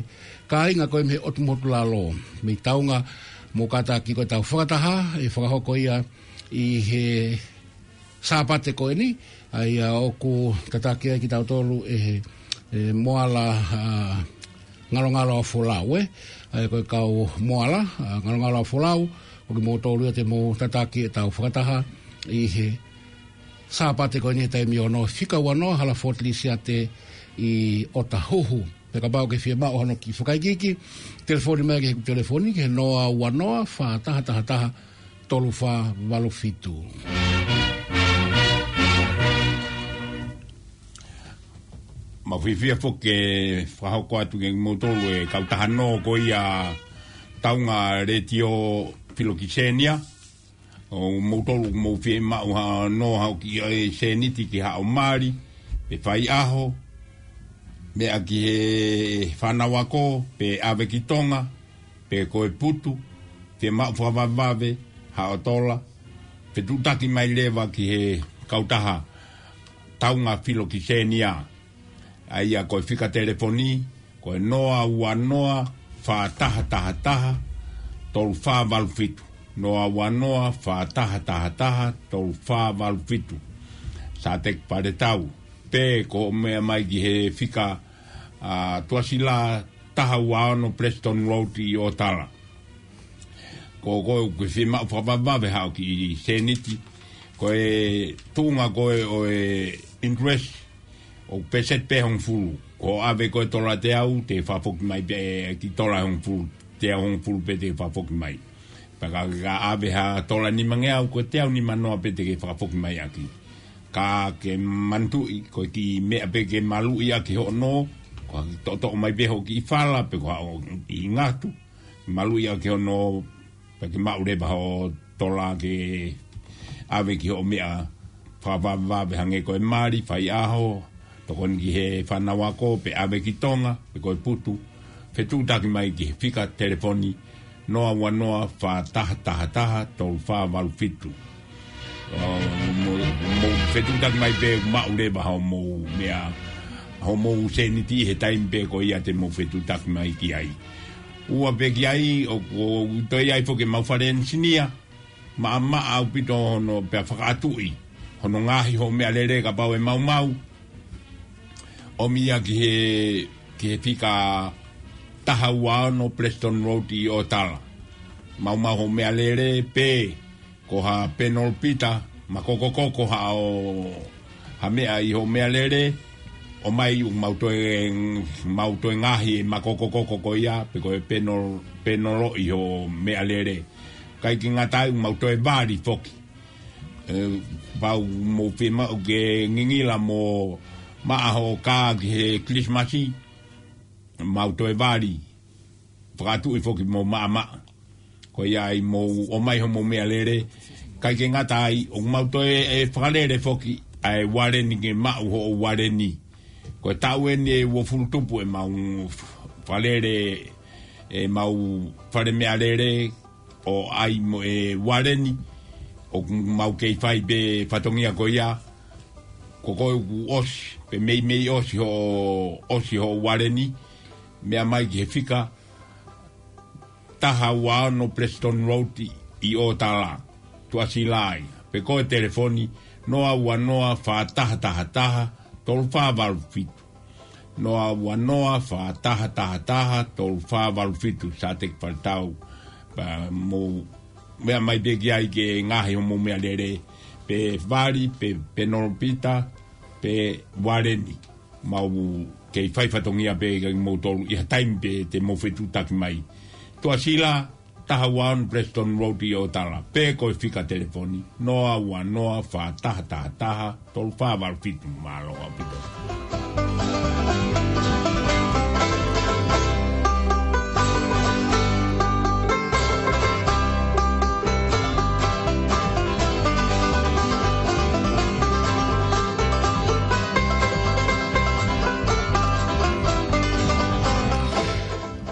kāinga ko e mei he ʻOtu Motulalo, mei Taunga, mou kātaki ko e tau fakataha, ʻe fakahoko ia ʻi he Sāpate ko eni, ʻa ia ʻoku tataki ai kitautolu ʻe he, ʻe Moala, ʻa, Ngalongalo ʻa Folau, ē? ʻA ia ko e kau Moala, ʻa, Ngalongalo ʻa Folau, ko kimoutolu ia te mou tataki e tau fakataha ʻi he Sāpate ko eni he taimi ono, fika ua noa, Hala Fōtilisiate ʻi ʻOtahuhu. Pea kapau ʻoku ke fiemaʻu hano kiʻi fakaikiiki, telefoni mai ki he telefoni, ki he noa ua noa, fā taha taha taha, tolu fā valu fitu. Mau fiefia foki ke fakahoko atu kiate kimoutolu e kautaha nō ko ia Taunga Letiō Filokisenia. ʻOku moutolu ʻoku mou fiemaʻu ha nō, haʻo kiʻi sēniti ki haʻo mali, pe faiʻaho, meʻa ki he fānau ako, pe ʻave ki Tonga, pe ko e putu, fiemaʻu fakavavevave haʻo tola, fetuʻutaki mai leva ki he kautaha Taunga Filokisenia. ʻA ia ko e fika telefoni, ko e noa ua noa, fā taha taha taha, tolu fā valu fitu. Noa ua noa, fā taha taha taha, tolu fā valu fitu. Sāteki Paletau. Pe ko e meʻa mai ki he fika, ʻa, Tuʻasila taha ua ono Preston Road ʻi ʻOtala. Ko, ko ʻoku ke fiemaʻu fakavavevave haʻo kiʻi sēniti. Ko e tuʻunga ko ē ʻo e interest, ʻoku pēseti pē hongofulu. Ko e ʻave ko e tola teau, te fakafoki mai pē kiʻi tola hongofulu, teau hongofulu pē te fakafoki mai. Pea ka, ka ʻave ha tola nimangeau, ko e teau nimanoa pē te ke fakafoki mai ʻaki. Ka ke manatuʻi, ko e kiʻi meʻa pē ke maluʻi ʻaki hoʻo nō, ko e toʻotoʻo mai pē hoʻo kiʻi fala, pe ko haʻo kiʻi ngatu, maluʻi ʻaki hoʻo nō, pea ke maʻu leva hoʻo tola ke ʻave ki hoʻo meʻa fakavavevave hangē ko e mali, faiʻaho, tokoni ki he fānau ako, pe ʻave ki Tonga, pe ko e putu, fetuʻutaki mai ki he fika telefoni, noa ua noa, fā taha taha taha, tolu fā valu fitu. ʻO, mou, mou fetuʻutaki mai pea maʻu leva hoʻomou meʻa, hoʻomou sēniti he taimi pē ko ia te mou fetuʻutaki mai ki ai. Ua pē ki ai, ʻoku, ʻoku toe ʻi ai foki ʻemau fale enisinia, maʻamaʻa ʻaupito hono pea fakaʻatuʻi hono ngaohi hoʻo meʻalele kapau ʻe maumau. ʻOmi ia ki he, ki he fika taha ua ono Preston Road ʻi ʻOtala. Maumau hoʻo meʻalele pe ko ha penolopita, makokokoko haʻo, ha meʻa ʻi hoʻo meʻalele, ʻomai ʻoku mau toe, mau toe ngaohi e makokokoko ko ia, pe ko e penol-, penolo ʻi hoʻo meʻalele. ʻIkai ke ngata ai ʻoku mau toe vali foki. ʻE, kapau mou fiemaʻu ke ngingila mo maʻa hoʻo kā ki he Kilisimasi, mau toe vali. Fakaʻatuʻi foki mo maʻamaʻa. Ko ia ai mou ʻomai hoʻomou meʻalele. ʻIkai ke ngata ai, ʻoku mau toe ʻe fakalele foki ʻa e ualeni ke maʻu hoʻo ualeni. Ko e taʻu eni ʻe uofulu tupu ʻemau fakalele, ʻemau fale meʻalele, ʻo ʻai mo e ualeni, ʻoku mau kei fai pē fatongia ko ia, ko koe ʻoku ʻosi, pe meimei ʻosi hoʻo, ʻosi hoʻo ualeni, meʻa mai ki he fika, taha ua ono Preston Road ʻi, ʻi ʻOtala, Tuʻasila ia, pe ko e telefoni, noa ua noa, fā taha taha taha, tolu fā valu fitu. noa ua noa fā taha taha taha tolu fā valu fitu, Sateki Faletau. Pea mou meʻa mai pē ki ai ke ngaahi hoʻomou meʻalele, pe vali, pe, pe penelope, pe ualeni. Mau kei fai fatongia pē kia moutolu ʻi ha taimi pē te mou fetuʻutaki mai. Tuʻasila, taha ua ono Preston Road ʻi ʻOtala, pe ko e fika telefoni, noa ua noa fā taha taha taha tolu fā valu fitu. Mālō ʻaupito.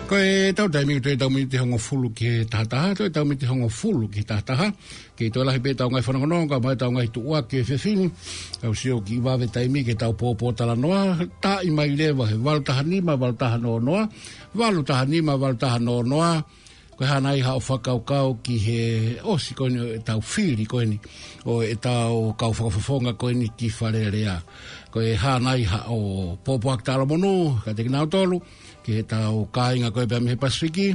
Ko e tau taimi ko e tau miniti hongofulu ki he taha taha, toe tau miniti hongofulu ki he taha taha. Kei toe lahi pē tau ngaahi fanongonongo, kae ʻumaʻā tau ngaahi tuʻuaki he efiafi ni. Tau sio ki vave taimi ke tau pōpōtalanoa, taaʻi mai leva he valu taha nima, valu taha noa noa, valu taha nima, valu taha noa noa. Ko e hā nai haʻo fakakaukau ki he ʻosi ko eni ʻo e tau fili ko eni ʻo e tau kau fakafofonga ko eni ki Fale Alea. Ko e hā nai haʻo pōpoaki taʻalomonū kiate kinautolu, ki he tau kāinga ko ē pea mei he Pasifiki,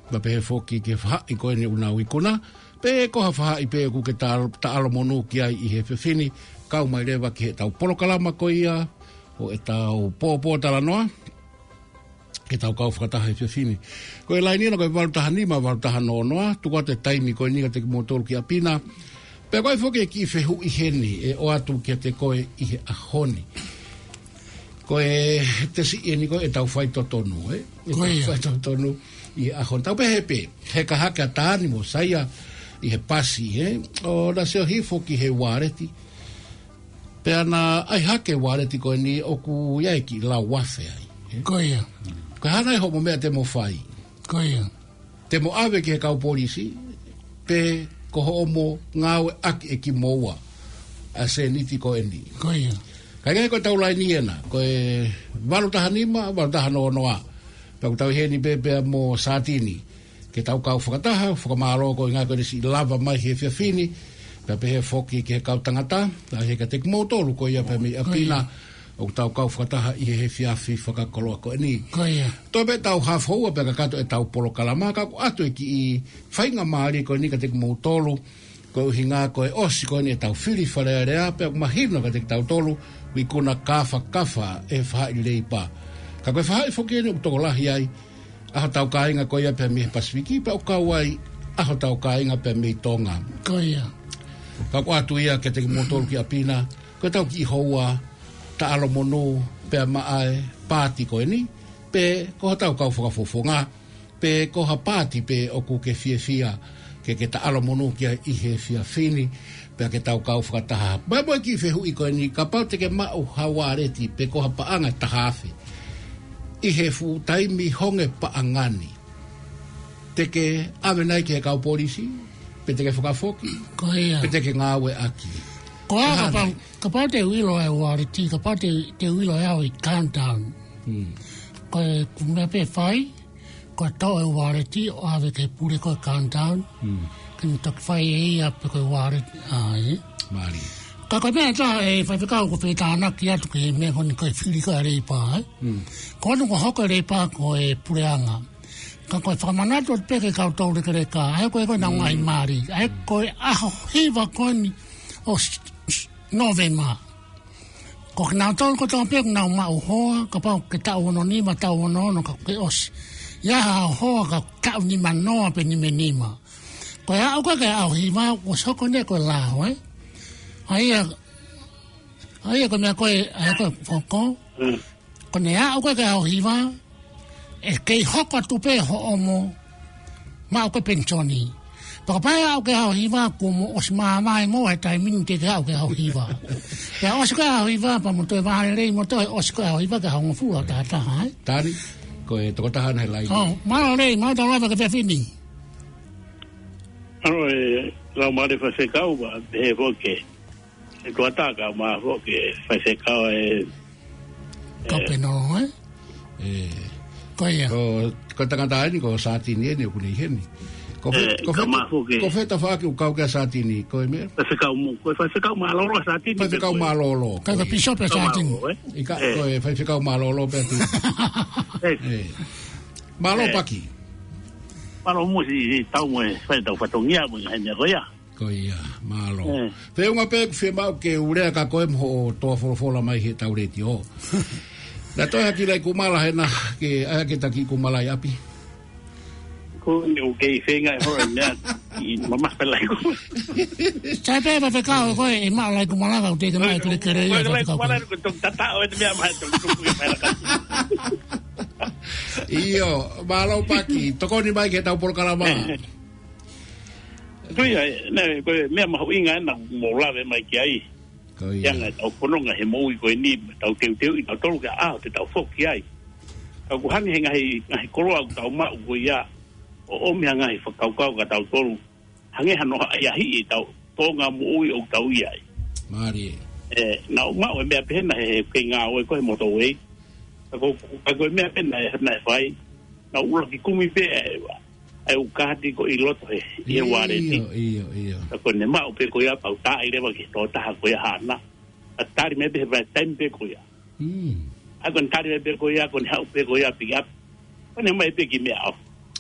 pea pehē foki ki he faʻahi ko eni ʻoku nau ikuna, pe ko ha faʻahi pē ʻoku ke ta-, taʻalomonū ki ai ʻi he efiafi ni, kau mai leva ki he tau polokalama ko ia ʻo e tau pōpōtalanoa, ke tau kau fakataha he efiafi ni. Ko e laini ena ko e valu taha nima, valu taha noa noa, tuku atu e taimi ko eni kiate kimoutolu ki ʻapi na. Pea ko e foki e kiʻi fehuʻi heni, ʻe ʻoatu kiate koe ʻi he ʻaho ni. Ko e tesi eni ko e tau faitotonu, ē? E Ko tau ia. faitotonu ʻi he ʻaho ni. Tau pehē pē, heka hake ʻa Tani mo Saia ʻi he pasi, ē? ʻO na sio hifo ki he ualeti. Pea na ʻai hake ualeti ko eni ʻoku ʻi ai e kiʻi lau afe ai, ē? Ko ia. Ko e hā nai hoʻomo meʻa te mo fai? Ko ia. Te mo ʻave ki he kau polisi, pe ko hoʻomo ngāueʻaki ʻe kimoua ʻa e sēniti ko eni. Ko ia. Ka ʻi ai ko e tau laini ena, ko e valu taha nima, valu taha noa noa. Pea ʻoku tau ʻi heni pē pea mo Satini. Ke tau kau fakataha, fakamālō ko e ngaahi ko e siʻi lava mai he efiafi ni. Pea pehē foki ki he kau tangata, ʻa e heka kiate kimoutolu ko ia pea mei ʻapi na. ʻOku tau kau fakataha ʻi he efiafi fakakoloa ko eni. Ko ia. Toe pē tau hafoua pē kakato e tau polokalama ka ʻoku ʻoatu e kiʻi faingamālie ko eni kiate kimoutolu. Ko e ʻuhinga ko e ʻosi ko eni e tau fili Fale Alea pea ʻoku mahino kiate kitautolu ʻoku ikuna kāfakafa e faʻahi Leipa. Ka ko e faʻahi foki eni ʻoku tokolahi ai ʻa hotau kāinga ko ia pea mei he Pasifiki pea ʻoku kau ai ʻa hotau kāinga pea mei Tonga. Ko ia. Ka ʻoku ʻoatu ia kiate kimoutolu ki ʻapi na, ko e tau kiʻi houa taʻalomonū pea maʻa e paati ko eni, pe ko hotau kau fakafofonga, pe ko ha paati pē ʻoku ke fiefia ke ke taʻalomonū ki ai ʻi he efiafi ni, pea ke tau kau fakataha. Pea mo e kiʻi fehuʻi ko eni, kapau te ke maʻu ha ualeti pe ko ha paʻanga ʻe taha afe ʻi he fuʻu taimi honge paʻanga ni, te ke ʻave nai ki he kau polisi, pe te ke fakafoki, Ko ia. pe te ke ngāueʻaki? Ko e Ko e hā kapau, nai? kapau te u ʻilo e ualeti, kapau te, te u ʻilo e au ʻi Countdown. Hmm. Ko e ʻoku meʻa pē fai, ko e toʻo e ualeti ʻo ʻave ki he pule ko e Countdown. Hmm. Ke ne toki fai ʻe ia pē ko e ualeti, ʻa ē. Mālie. Ka ko e meʻa ʻe taha ʻe faifekau ʻoku ou fie tānaki atu ki he meʻa ko eni ko e fili ko e Leipa, ē. Hmm. Ko eni ʻoku hoko e Leipa ko e puleʻanga. Ka ko e fakamanatu atu pē ki he kau toulekeleka, ʻa ē ko ē ko ē ʻoku nau Mm. ngaahi mali, ʻa ē ko e ʻaho hiva ko eni ʻo s-, s-, Nōvema. Ko kinautolu kotoa pē ʻoku nau maʻu hoa, kapau ke taʻu ono nima, taʻu ono ono ka ke ʻosi. ʻI ai ha hoa ka taʻu nima noa pe nima nima. Ko e aʻu ko ē ki he ʻaho hiva, ʻoku soko eni ko e lao, ē? ʻA ia, ʻa ia ko e meʻa ko ē, ʻa ia ko e foko. Mm. Ko ʻene aʻu ko ē ki he ʻaho hiva, ʻe kei hoko atu pē hoʻomo maʻu ko ē penisoni. Pea kapau ʻe aʻu ki he ʻaho hiva, kuo mo ʻosi māvae mo e taimi ni te ke aʻu ki he ʻaho hiva. Pea ʻosi ko ē ʻaho hiva, pea mo toe vālelei mo toe ʻosi ko ē ʻaho hiva ki he ʻaho hongofulu ʻa taha taha, ē? Tani, ko e tokotaha ʻena he laini. ʻŌ, mālō Lei, mālō tau lava ki he efiafi ni. ʻAlo e, lau mālie faifekau, pea pehē foki e tuataka ma foki faifekau e, Kau e, pē nō, ē? E. Ko ia. Ko, ko e tangata eni, ko Satini eni, ʻoku ne ʻi heni. Ko fē, ē, ko fē, ka mafu ke ko fē tafaʻaki ʻoku kau ki ai ʻa Sātini, ko e meʻa? Faifekau mo-, ko e faifekau mālōlō ʻa Sātini. Faifekau mālōlō. Ka ko e pīsope ʻa Sātini. Mālōlō, ē? ʻIkai, ē, ko e faifekau mālōlō pē atu. Ē. Ē. Mālō, ē, Paki. Mālō muʻa siʻi, siʻi tau mo e fai ʻetau fatongia mo e ngaahi meʻa ko ia. Ko ia, mālō. Ē. Feʻunga pē ʻeku fiemaʻu ke u lea kia koe mo hoʻo toa folofola mai heʻetau letiō. Naʻe toe hake Laikumala hena, ke ʻai hake ʻa Kiʻi Kumala ʻi ʻapi. Ko eni ʻoku kei feinga e hoa e meʻa, ʻi mamafa Laikumala. Sai pē faifekau ko ē, ʻe maʻu Laikumala ka ʻoku teʻeki mai ke le kere ia ko e faifekau Laikumala ko ē. Ko e toki tataʻo e meʻa mai toki tuku i mai laka. ʻIo, mālō Paki, tokoni mai ki heʻetau polokalama. Ko ia, ē, naʻe, ko e meʻa mahuʻinga ena ʻoku mou lave mai ki ai. Ko ia. He anga ʻetau fononga he moʻui ko eni, tau teuteuʻi tautolu ki he ʻaho te tau foki ai. Ka ʻoku hangē he ngaahi, ngaahi koloa ʻoku tau maʻu ko ia, ʻo ʻomi ha ngaahi fakakaukau kia tautolu. Hangē hano ʻahiʻahiʻi ʻetau tōʻonga moʻui ʻoku tau ʻi ai. Mālie. Ē, naʻá ku maʻu e meʻa pehē na he, he kei ngāue ko ē he motorway. Ka ko, ka ko e meʻa pē naʻe, naʻe fai. Naʻá ku ʻuluaki kumi pē ʻa e, ʻa e ʻū kaati ko ē ʻi loto he, ʻi he uāleti. ʻIo, ʻio, ʻio. Ka ko ʻene maʻu pē ko ia pea u taaʻi leva ki he tokotaha ko ia haʻana. ʻA e tali mai pē he vahaʻa taimi pē ko ia. Mm. ʻA ia ko ʻene tali mai pē ko ia, ko ʻene haʻu pē ko ia pick up. Ko ʻene mai pē ki meʻa ʻo.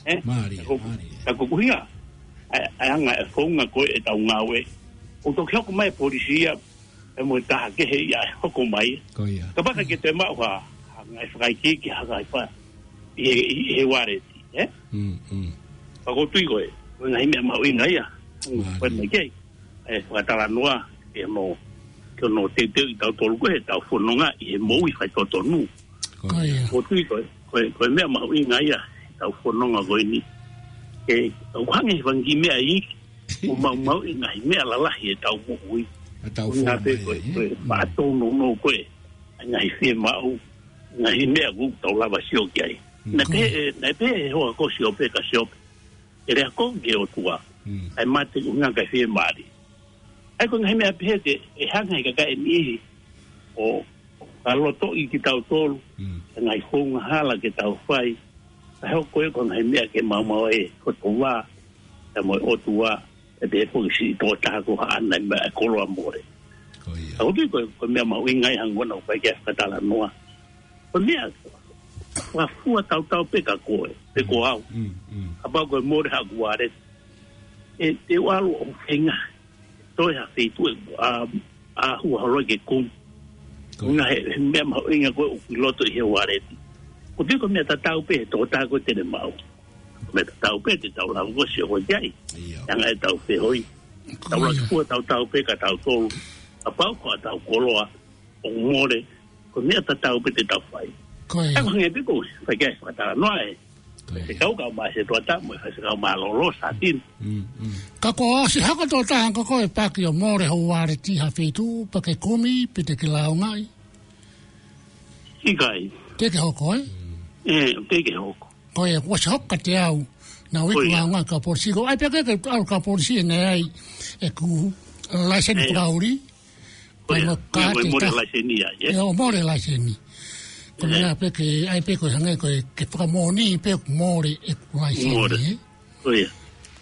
Ē? Mālie, ka ko, mālie. Ka ko e ʻuhinga, ʻa e, ʻa e anga e founga ko ē ʻetau ngāue. ʻOku toki hoko mai e polisi ia, ʻe mo e taha kehe ia ʻe hoko mai. Ko ia. Kapau naʻe ʻikai ke toe maʻu ha, ha ngaahi fakaikiiki, ha ngaahi fa-, ʻi he, ʻi he uāleti, ē? Mm, mm. Ka ʻoku ou tui ko e, ko e ngaahi meʻa mahuʻinga ia. Mālie. Ko e meʻa kei, ʻe fakatalanoa, ʻi hono, ki hono teuteuʻi tautolu ko ē heʻetau fononga ʻi he moʻui faitotonu. Ko ia. Ko ia. ʻOku ou tui ko e, ko e, ko e meʻa mahuʻinga ia, ʻetau fononga ko eni. ʻE, ʻoku hangē he fanga kiʻi meʻa iiki, ʻoku maumauʻi e ngaahi meʻa lalahi ʻetau moʻui. ʻEtau fononga pē ko e, ē? Ko e, mm, faʻa tōnounou ko ē, ngaahi fiemaʻu, ngaahi meʻa ʻoku tau lava sio ki ai. Mm. Naʻe pehē, ē, naʻe pehē ʻe he hoa ko Siope kia Siope. ʻE lea kovi ki he ʻOtua. Mm. ʻAi mate ʻuhinga ʻikai fiemālie. ʻA ia ko e ngaahi meʻa pehē te, ʻe hanga he kakai ʻe niʻihi ʻo, ʻo fakalotoʻi kitautolu. Mm. ʻA e ngaahi founga hala ke tau fai. Ka hoko ia ko e ngaahi meʻa ke maumau ai e kotoa, ʻa ia mo e ʻOtua, ʻe pehē foki siʻi tokotaha ko haʻana ʻi he meʻa e koloa mole. Ko ia. Ka ʻoku ou tui ko e, ko e meʻa mahuʻinga ia hangē ko ena ʻoku ʻikai ke fakatalanoa. Ko e meʻa, fua tautau pē kia koe, pe ko au. Mm, mm. Kapau ko e mole haʻaku uāleti. ʻE, te u ʻalu ʻo feinga. Toe ha feituʻu ʻe, ʻa, ʻa hua holo ke kumi. Ko ia. Ngaahi, he meʻa mahuʻinga ko ē ʻoku ʻi loto ʻi he uāleti. ʻOku ou tui ko e meʻa tatau pē he tokotaha ko ē te ne maʻu. Meʻa tatau pē te tau lava ʻo sio ki ai. ʻIo. Anga ʻetau fehuʻi. Ko ia. Tau lava fua tautau pē kia tautolu. Kapau ko ʻetau koloa ʻoku mole, ko e meʻa tatau pē te tau fai. Ko ia. ʻA ia ko e hangē pē ko e, fai ki ai e fakatalanoa ē. Ko ia. Faifekau kae ʻumaʻā e tokotaha mo e faifekau mālōlō Sātini. Mm, mm. Ka kuo ʻosi hoko e tokotaha ko ē Paki ʻo mole hoʻo uāleti ha feituʻu, pea ke kumi, pe te ke lāungaʻi? ʻIkai. Teʻeki ke hoko, ē? Mm. Ē, teʻeki ke hoko. Ko ia, kuo ʻosi hoko kiate au, naʻá ku iku lāungaʻi ki he polisi. Ko e ʻai pē ke, ke ʻalu ki he polisi ʻe ʻai ʻeku laiseni fakaʻuli. Ko ia. Ko e mo-, mo e mole laiseni ia, ē? Ia, ʻo mole laiseni. Ko e meʻa pē ke, ʻai pē ko e hangē ko e, ke fakamoʻoni pē ʻoku mole ʻeku laiseni, ē? Ko ia.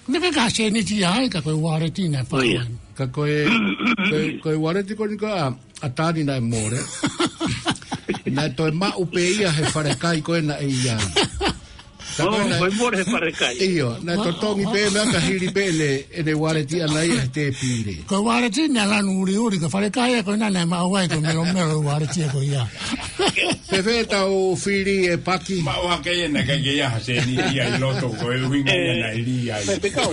Naʻe ʻikai ke ha sēniti ai, ka ko e uāleti naʻe fai. Ka ko e, ko e, ko e uāleti ko eni ko ē ʻa, ʻa Tani naʻe mole. Naʻe toe maʻu pē ia he falekai ko ē naʻe ʻi ai. Ka ko e naʻe, ko e mole he falekai. ʻIo, naʻe totongi pē meʻa ka hili pē ʻene, ʻene uāleti ʻana ia he tēpile. Ko e uāleti naʻe lanu uliuli, ko e falekai ko ena naʻe maʻu ai ko e melomelo uāleti ko ia. Fēfē ʻetau fili ʻe Paki? Maʻu hake ia naʻe ʻikai ke ʻi ai ha sēniti ia ʻi loto ko e ʻuhinga ia naʻe lī ai. Faifekau.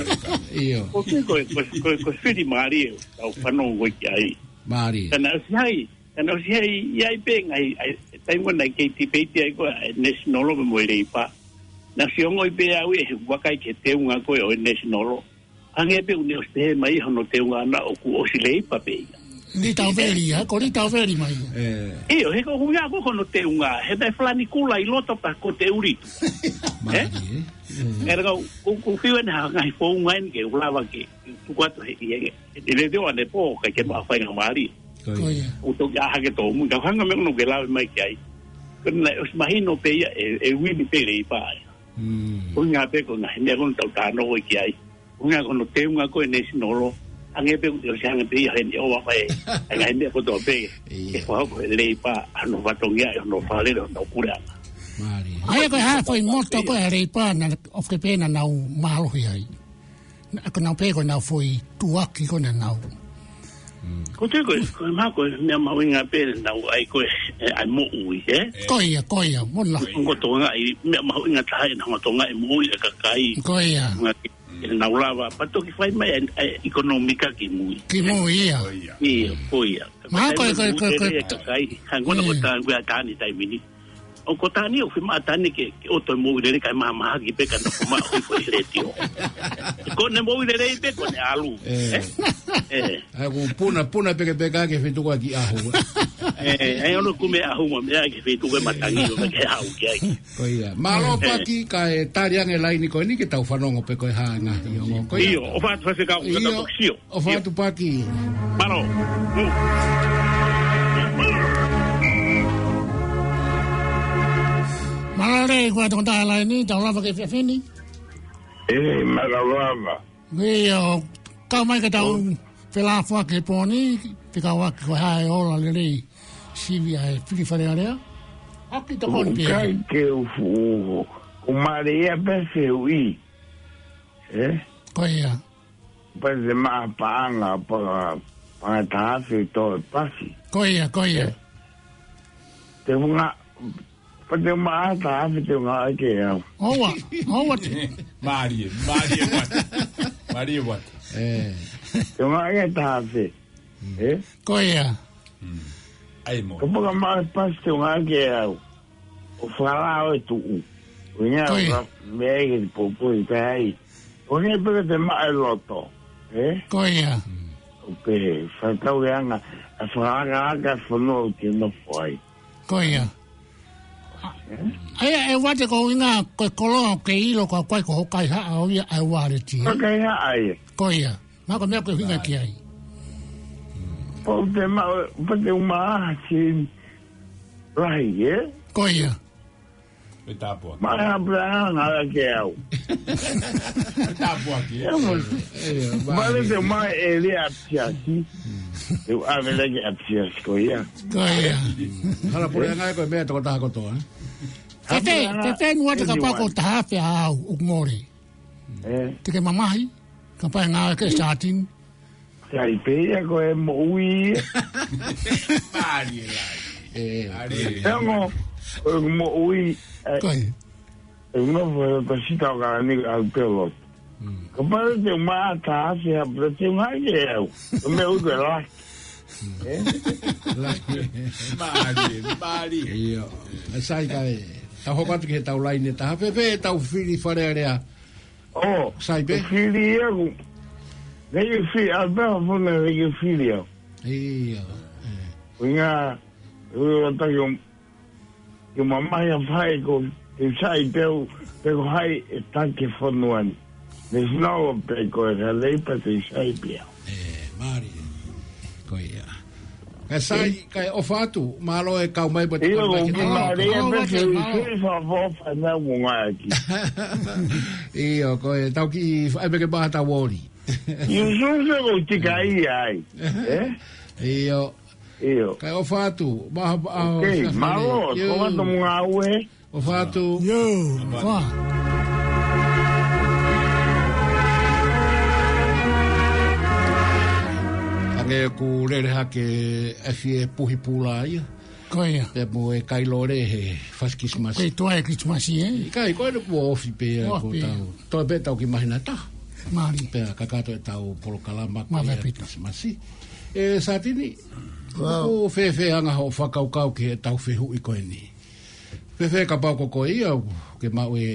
ʻIo. Ko e, ko e, ko e, ko e fili mālie ʻetau fanongo ki ai. Mālie. Ka naʻe ʻosi ʻi ai, ka naʻe ʻosi ʻi ai, ʻi ai pē ngaahi, ʻa e, taimi ko ē naʻe kei tipeiti ai ko ē, ʻa e National mo e Leipa. Naʻe ʻosi ongoʻi pē au ia he vakai ki he teunga ko ē ʻo e National. Hangē pē ʻoku ne ʻosi pehē mai hono teunga ʻana ʻoku ʻosi Leipa pē ia. Lī Tauveli, ē? Ko Lī Tauveli mai. ʻIo, he ko e ʻuhinga ko hono teunga, he naʻe falani kula ʻi loto pea ko e te uli. Mālie, ē? ʻE laka, ʻoku, ʻoku fiu ʻene ha ngaahi founga eni ke u lava ke tuku atu he, he, he, he letiō ʻanepō, kae ke maʻu faingamālie. Ko ia. ʻOku toki ʻā hake tōmui, ka hanga meʻa ʻoku ke lave mai ki ai. Ko ena naʻe ʻosi mahino pē ia, ʻe, ʻe uini pē Leipa ia. Mm. ʻUhinga pē ko e ngaahi meʻa ko ē ʻoku tau talanoa ki ai. ʻUhinga ko hono teunga ko ē ʻa e National Law. Hangē pē ʻoku te ʻosi hanga pē ia heni ʻo ʻave. ʻA e ngaahi meʻa kotoa pē. Ia. ʻE fakahoko ʻe he Leipa, hono fatongia, hono fakalele, hono puleʻanga. Mālie. ʻA ia ko e hā e foʻi moto ko ē ʻa e Leipa naʻa ʻoku ke pehē naʻa nau mālohi ai. Naʻa ko ʻenau pehē ko ʻenau foʻi tuʻuaki ko ē naʻa nau. Mm. Ko e, ko e, ko e meʻa, ko e meʻa mahuʻinga pē naʻa nau ʻai ko ē, ʻe, ʻai moʻui, ē? Ko ia, ko ia, mo na. Ongo Tonga ʻi, meʻa mahuʻinga taha ʻi he ongo Tonga ʻi he moʻui ʻa e kakai. Ko ia. Ngā ki, ʻe nau lava, pea toki fai mai ʻa e, ʻa e ʻekonōmika ki mui. Ki mui, ia. Ko ia. Ia, ko ia. Mahalo ko e, ko e, ko e, ko e, Kakai, kakai, hangē ko ē ko e, mm, taʻu ko ē ʻa Tani taimi ni. ʻOku ko Tani ʻoku fiemaʻu ʻa Tani ke, ke ʻoto e moʻui lelei kae mahamahaki pē ka nofo mai ʻo hifo ʻi he letiō. Ko ʻene moʻui lelei pē ko ʻene ʻalu. Ē. Ē? Ē. ʻA ia ʻoku puna, puna pekepeka ki he feituʻu ko ē ʻoku ʻi ai e ʻahu. Ē, ʻa ia ʻoku ne kumi e ʻahu mo e meʻa ki he feituʻu ko ē ʻoku matangi ʻo ke ʻahu ki ai. Ko ia. Mālō, ē, Paki, kae tali ange e laini ko eni ke tau fanongo pe ko e hā e ngaahi ongo ko ia. ʻIo, ʻofa atu Faifekau, ka tau toki sio. ʻIo. ʻOfa atu Paki. Mālō. Mālō lelei, ko e tokotaha laini, tau lava ki he efiafi ni. ʻE, mālō lava. ʻIo, kau mai ke tau, ʻo, felāfoaki he pō ni, fekauʻaki ko e hā e ola lelei sivi ʻa e fili Fale Alea. ʻOku tokoni pē. ʻIkai ke u fuʻu, ʻoku mālie ia pē fehuʻi. Ē? Ko ia. Pea te maʻu paʻanga, pa-, paʻanga taha afe ʻe tolu ʻe pasi. Ko ia, ko ia. Ē? Te u ngā, pea te u maʻu taha afe te u ngāueʻaki ʻe au. ʻOua, ʻoua te. Mālie, mālie Vata. Mālie Vata. Ē. Te u ngāueʻaki taha afe. Mm. Ē? Ko ia. Mm. ʻAi mo. Kapau ʻoku maʻu pasi te u ngāueʻaki ʻe au. ʻO fakalao e tuʻu. ʻO ina, ko ia, ka meʻa ke te poupou ki ai. ʻO ina pē ka te maʻu e loto. Ē? Ko ia. ʻO pehē, fakatauange, ʻa e fakalakalaka e fonua ʻoku te nofo ai. Ko ia. Ē? ʻA ia, ʻe Vata, ko e ʻuhinga ko e koloa ʻoku ke ʻilo ko e hā ko hoʻo kaihaʻa ʻo ia ʻa e waleti. Ko e kaihaʻa ia. Ko ia. Mahalo ko e meʻa ʻoku ke ʻuhinga ki ai. Pau te ma-, pau te u maʻu ha sēniti lahi, ē? Ko ia. Pea tāpuaki. Maʻu ha puleʻanga ʻe ngāueʻaki ʻe au. Pea tāpuaki, ē? Ē, mo. Ē, ē, maʻu. Maʻu te u maʻu e lea ʻapiako. Te u ʻave leva ki he ʻapiako ko ia. Ko ia. Hala puleʻanga ia ko e meʻa e tokotaha kotoa, ē? Fēfē, fēfē ʻe Vata kapau ko e taha afe ʻa au, ʻoku mole. Ē. Te ke mamahi, kapau ʻe ngāueʻaki e sātini. Sai pē ia ko e moʻui. Mālie lahi. Ē. Mālie. Ē, ongo, ko e moʻui, ē. Ko ia. Ē, ongo, ko e pasita ʻo kalani au pē loto. Mm. Kapau te u maʻu taha afe ha, pea te u ngāueʻaki ʻe au. Ko e meʻa ʻoku ke laki. Ē? Laki. Mālie, mālie. ʻIo. ʻE Sai, kae tau hoko atu ki heʻetau laine taha. Fēfē ʻetau fili Fale Alea? ʻO, Sai pē? Ko e fili ia ʻoku. Naʻe fili, ʻa pē ha fona naʻe fili au. ʻIo, ē. ʻUhinga, ʻo taki o, ke mamahi ʻa fai ko, ke Sai pē ʻo, pe ko hai ʻe taki e fonua ni. Naʻe sino pē ko e ka lei pē te Sai pē au. Ē, mālie. Ko ia. Kae Sai, kae ʻofa atu, mālō e kau mai pea te ʻio, kau mai ki he mālō, mālō, mālō, mālō, mālō. ʻIo, ko e tau ki, ʻai pē ke maʻu ʻetau oli. ʻIo, so, so, ko tika ia ai. Ē? ʻIo. ʻIo. Kae ʻofa atu, maha, maha, ok, mālō, ʻio. Ko atu mo ngāue. ʻOfa atu. ʻIo, ʻofa. Hangē ʻoku lele hake e fie puhi pula ia. Ko ia. Pea mo e kai lole he fasi Kilisimasi. Ko e tuai Kilisimasi, ē? ʻIkai, ko ʻene kuo ofi pē ia. Ofi. Ko tau. Toe pē tau ki māhina ʻe taha. Mālie. Pea kakato ʻetau polokalama ko ia Kilisimasi. Mālie ʻaupito. Ē, Sātini, ʻoku fēfē anga hoʻo fakakaukau ki heʻetau fehuʻi ko eni? Fēfē kapau ko koe ia, ke maʻu e,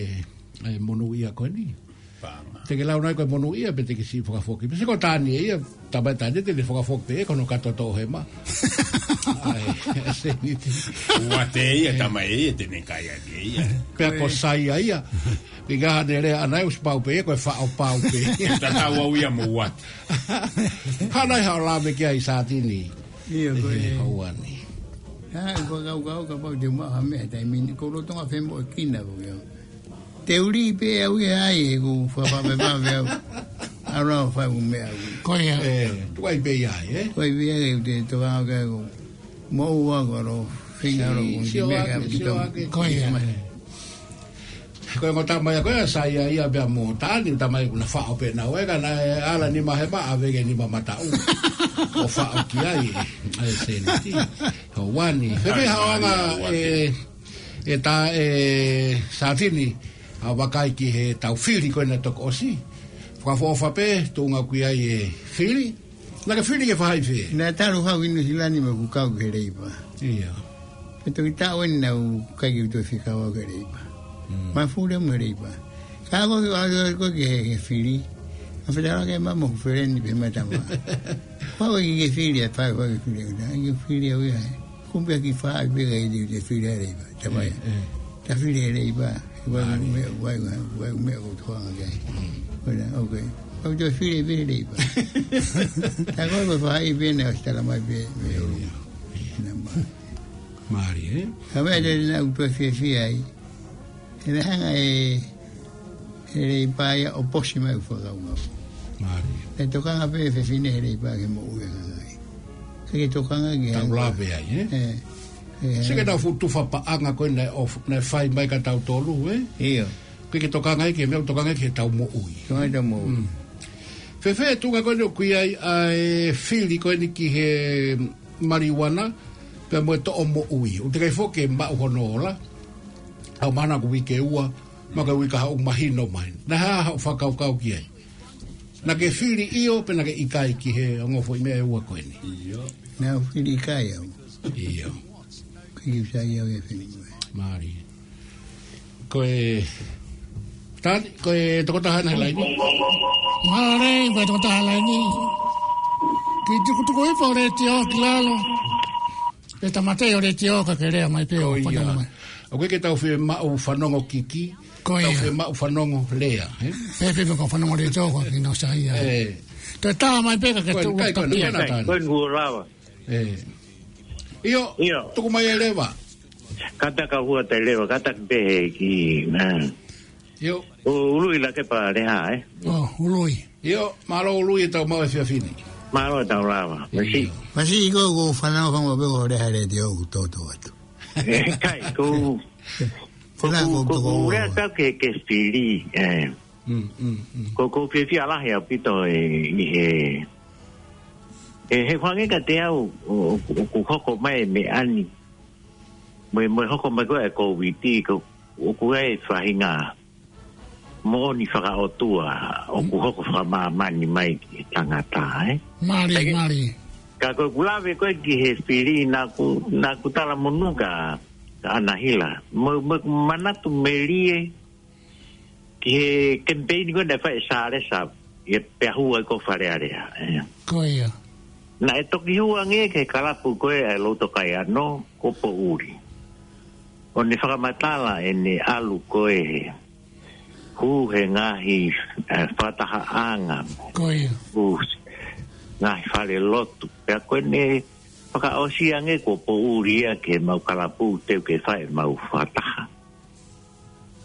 e monūʻia ko eni? Paʻanga. Te ke lau nai ko e monūʻia pe te ke siʻi fakafoki. Pe se ko Tani ia, tamai Tani te ne fakafoki pē, ko hono kātoa ʻo e hema. ʻAi, e sēniti. Uate ia, tamai ia, te ne kai ake ia. Pea ko Sai ia. Pea ka hane lea ʻana ʻosi pau pē, ko e faʻo pau pē. Tatau au ia mo Uate. Hana i hao lame ki ai Sātini. ʻIo, ko e. Hauani. ʻA, ko e kau kau kapau te u maʻu ha meʻa he taimi ni, ko lolotonga femoʻuekina ko ia. Te uli pē au ia ai, ʻoku ou fakapape pē au. ʻAlu ʻo fai ʻeku meʻa au. Ko ia. Ē, tuai pē ia ai, ē? Tuai pē ia ai, te tokanga au ki ai ʻoku moʻua ko ʻalu ʻo feinga ʻalu ʻo Sio, sio meʻa ake, ka sio pito. Ake. Ko ia. Ko e ongo tama ia ko ē ʻa Saia ia pea mo Tani, tama ia kuo na faʻo pē naua ē, ka naʻe ʻalu ni mahe ma ʻave ke ni ma mataʻu. ʻO faʻo ki ai, ʻa e seniti. ʻO wani. Pea pehē haʻo anga, ē, ʻe tā, ē, Satini, ʻa vakai ki heʻetau fili ko ena toko ʻosi. Fakaʻofoʻofa pē, tuʻunga ʻoku ʻi ai e fili. Naʻa ke fili ke fai fē? Naʻe talu haʻaku ʻi Nuʻu Sila ni mo ʻeku kau ki he Leipa. Ia. Pea toki taʻu eni naʻa ku ʻikai ke u toe fekau au ki he Leipa. Mm. Mafuli mo e Leipa. Ka ko e, ko e, ko e ki he, he fili. ʻA fetala ke ma mo feleni pē ma tama. Pau ki he fili, ʻa fai, fai ki he fili, ʻa ki he fili au ia. Kumbe ki fai pē ka i te fili ʻa e Leipa. Tama ia. Ē, ē. Ta fili ʻa e Leipa. Ua Mālie. Me, ua, ua, ua me o toa ke. Mm. Ua, ok. Au te fili pē ʻa e Leipa. Ta ko e fai pē na ʻosi tala mai pē, me o. Ia. Ia. Nā ma. Mālie, ē? Ka me te na u toe fiefia ai. He naʻe hanga ʻe, ʻe Leipa ia ʻo posi mai ʻeku fakaʻaonga. Mālie. Naʻe tokanga pē fefine ʻe Leipa ke moʻui ʻa e kakai. Ka ke tokanga ki ai. Tau lave ai, ē? Ē, ē. Sio ki heʻetau fuʻu tufa paʻanga ko ē naʻe ʻof-, naʻe fai mai kia tautolu, ē? ʻIo. Ko e ke tokanga ai ki he meʻa, tokanga ai ki heʻetau moʻui. Tokanga ʻetau moʻui. Mm. Fēfē tuʻunga ko eni ʻoku ʻi ai ʻa e fili ko eni ki he maliuana, pea mo e toʻo moʻui. ʻOku teʻeki ai foki ke maʻu hono ola, ʻa e mahalo ko e uike ua, mahalo ko e uike ʻe taha ʻoku mahino mai. Naʻe hā haʻo fakakaukau ki ai? Naʻa ke fili ʻio, pe naʻa ke ʻikai ki he ongo foʻi meʻa ʻe ua ko eni? ʻIo. Naʻa ku fili ʻikai au. ʻIo. Ko e sai au e fili. Mālie. Ko e, Tani, ko e tokotaha ena he laini. Mālie, ko e tokotaha laini. Kiʻi tukutuku hifo e letiō ki lalo. Ke tāmateʻi e letiō ka ke lea mai pē ʻo Ko ia. Fanongo mai. ʻOku ʻikai ke tau fiemaʻu fanongo kiki. Ko ia. Tau fiemaʻu fanongo lea, ē? Pea pē ko e fanongo letiō ko ē ki nau sai ia. Ē. Toe tā mai pē ka ke Ko e, tuʻu kai, ko e, takia. Ko e, Tani. Ko e nguo lava. Ē. ʻIo, ʻIo. Tuku mai e leva. Kātaki hua te leva, kātaki pē he ki, nā. ʻIo. ʻO ului la ke pa le ha, ē? ʻO, ului. ʻIo, mālō ului ʻetau maʻu e efiafi ni. Mālō ʻetau lava. Masi. ʻIo. Masi ko e ko fanongo fanongo pē ko le ha le te o ku toto atu. Ē, kai, ko, ko, Tena ko, ko ko, ko, ko, lea ka ke, ke fili, ē. Mm, mm, mm. Ko, ko fiefia lahi ʻaupito ē, ʻi he, ē, he fanga ka te au, ʻo, ʻo, ʻoku hoko mai meʻa ni. Mo e, mo e hoko mai ko e Kōviti, ko, ʻoku ʻi ai e faʻahinga moʻoni fakaʻotua, ʻoku hoko fakamāmani mai ki he tangata, ē? Mālie, Ka ke, mālie. Ka ko ʻeku lave ko ē ki he fili naʻa ku, naʻa ku talamonū kia, kia ʻAnahila. Mo, mo, manatu melie, ki he kemipeini ko ē naʻe fai ʻe Sālesa, ʻi he pea hua ʻi ko Fale Alea, ē. Ko ia. Naʻe toki hū ange ki he kalapu ko ē ʻa e Loto Kaiano, ko Poʻuli. ʻO ne fakamatala ʻene ʻalu ko ē he hū he ngaahi, ē, fakatahaʻanga. Ko ia. Hū ngaahi fale lotu. Pea ko ʻene fakaʻosi ange ko Poʻuli ia ke mau kalapu teu ke fai mau fakataha.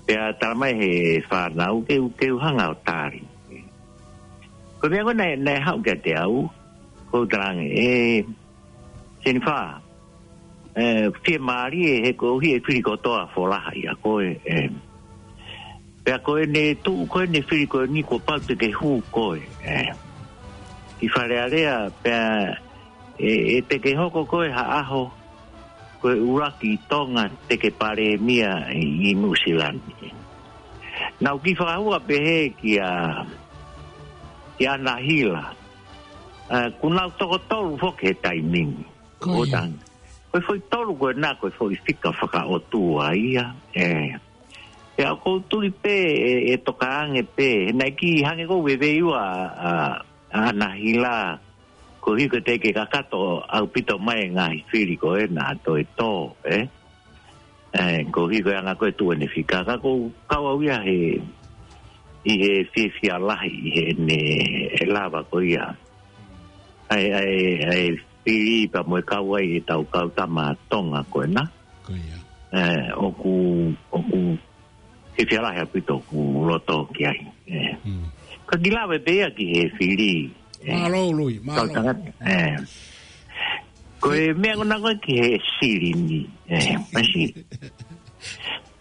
Pea tala mai he fānau ke u, ke u hanga ʻo tali. Ko e meʻa ko ē naʻe, naʻe haʻu kiate au, ko u talange, ē, Senifa, ē, fiemālie he ko hi e fili kotoa folaha ia ko ē, ē. Pea ko ʻene tuʻu ko ʻene fili ko eni kuo pau te ke hū ko ē, ē. Ki Fale Alea, pea ʻe, ʻe te ke hoko ko ē ha ʻaho, ko e ʻuluaki Tonga te ke palēmia ʻi, ʻi Nuʻusila ni. Naʻa ku kiʻi fakahua pehē kia, kia ʻAnahila. Ē, kuo nau toko tolu foki he taimi ni. Ko ia. Ko e foʻi tolu ko ena, ko e foʻi fika fakaʻotua ia. Ē. Pea ʻoku ou tui pē, ʻe, ʻe toka ange pē. Naʻe kiʻi hangē ko e veiveiua ʻa, ʻa, ʻa ʻAnahila. Ko hiko te ke kakato ʻaupito mai e ngaahi fili ko ē naʻa toe tō, ē? Ē, ko hiko e anga ko ē tuʻu ʻene fika. Ka ʻoku ou kau au ia he, ʻi he fiefia lahi, ʻi heʻene lava ko ia. ʻA e, ʻa e, ʻa e fili pea mo e kau ai ʻetau kau tama Tonga ko ena. Ko ia. Ē, ʻoku, ʻoku Ke fia lahi ʻaupito ʻoku loto ki ai. ʻE. Ka kiʻi lave pē ia ki he fili. ʻE. Mālō, Lui, mālō. Kau tangata. ʻE. Ko e meʻa ko ena ko ē ki he silini. ʻE. Masi.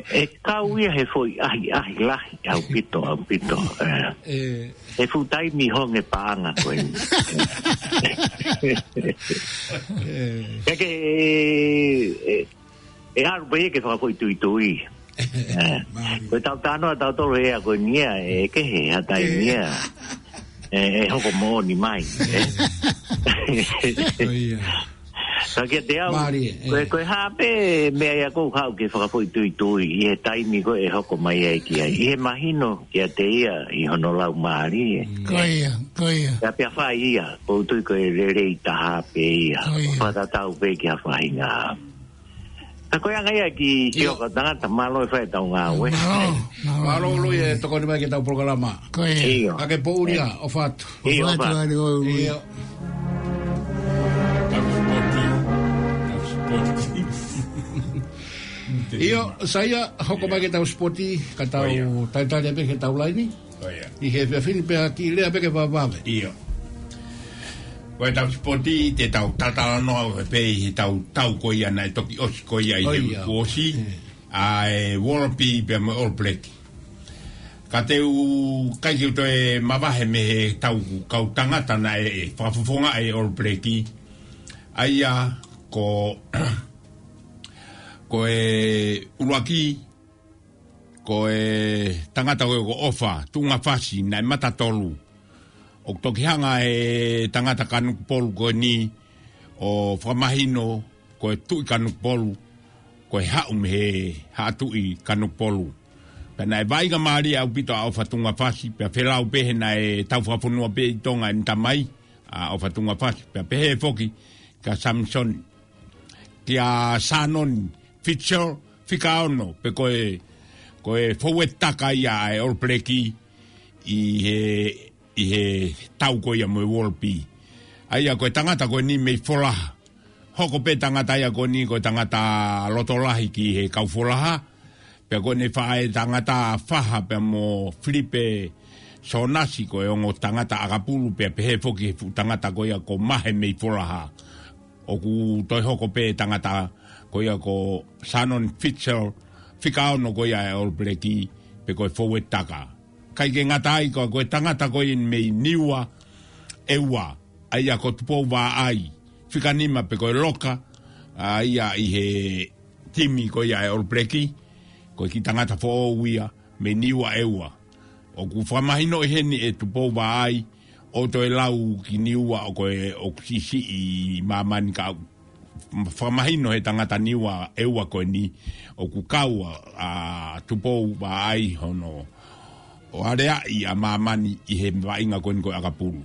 ʻE kau ia he foʻi ʻahiʻahi lahi ʻaupito, ʻaupito. ʻE. ʻE. He fuʻu taimi honge paʻanga ko eni. ʻE. Ka ke, ʻe, ʻe ʻalu pē ia ke fakafoʻituitui. ʻE, ko e tau tano a tau tolo ea ko eni ia, ʻe kehe, ha taimi ia. ʻE, ʻe hoko moʻoni mai. ʻE. Ko ia. Ka kiate au, ko e, ko e hā pē meʻa ia ʻoku ou haʻu ke fakafoʻituitui, ʻi he taimi ko ē ʻe hoko mai ai ki ai. ʻI he mahino kiate ia, ʻi hono lau mālie. Ko ia, ko ia. Pea, pea fai ia, ʻoku ou tui ko e lelei taha pē ia. Ko ia. Fakatatau pē ki ha faʻahinga. Ka ko e anga ia ki Sio kau tangata mālō e fai ʻetau ngāue. Mālō, mālō, Mālō, mālō. Lui, ʻe tokoni mai ki heʻetau polokalama. Ko ia. ʻIo. Ka ke pouri ā, ʻofa atu. ʻIo, ʻofa atu. Atu, ʻo Lui. ʻIo. ʻIo, Saia, hoko mai ki heʻetau sipoti, ka tau talitali pē ki heʻetau laini. ʻI he efiafi ni pea kiʻi lea pē ke vavave. ʻIo. Ko ʻetau sipoti, te tau talatalanoa pē ʻi heʻetau tau ko ia naʻe toki ʻosi ko ia ʻi he uike kuo ʻosi. ʻA e Wallaby pea mo e All Black. Ka te u ʻikai ke u toe mavahe mei heʻetau kau tangata naʻe fakafofongaʻi e All Black. ʻA ia ko, ko e ʻuluaki, ko e tangata ko ē ko ʻOfa Tuʻungafasi naʻe mata tolu. ʻOku toki hanga ʻe he tangata Kanokupolu ko eni ʻo fakamahino ko e Tuʻi Kanokupolu, ko e haʻu mei he Haʻa Tuʻi Kanokupolu. Pea naʻe vaʻinga mālie ʻaupito ʻa ʻOfa Tuʻungafasi, pea felau pē he naʻe tau fakafonua pē ʻi Tonga ʻene tamai, ʻa ʻOfa Tuʻungafasi, pea pehē foki kia Samisoni, kia Shannon Fitzgerald, fika ono, pe ko e, ko e fouetaka ia ʻa e All Black ʻi he, ʻi he tau ko ia mo e Wallaby. ʻA ia ko e tangata ko eni mei Folaha. Hoko pē tangata ia ko eni ko e tangata loto lahi ki he kau Folaha. Pea ko ʻene faʻē tangata Faha pea mo Filipe Sonasi ko e ongo tangata ʻakapulu pea pehē foki he fuʻu tangata ko ia ko Mahe mei Folaha. ʻOku toe hoko pē tangata ko ia ko Shannon Fitzgerald, fika ono ko ia e All Black, pe ko e fouetaka. ʻIkai ke ngata ai ko, ko e tangata ko ia mei Niua ʻEua, ʻa ia ko Tupou Vaʻai, fika nima pe ko e loka, ʻa ia ʻi he timi ko ia e All Black, ko e kiʻi tangata foʻou ia, mei Niua ʻEua. ʻOku fakamahinoʻi heni ʻe Tupou Vaʻai, ʻo toe lau ki Niua ʻo ko e ʻoku siʻisiʻi ʻi māmani ka fakamahino he tangata Niua ʻEua ko eni, ʻoku kau ʻa, ʻa Tupou Vaʻai hono ʻo aleaʻi ʻa māmani ʻi he vaʻinga ko eni ko e ʻakapulu.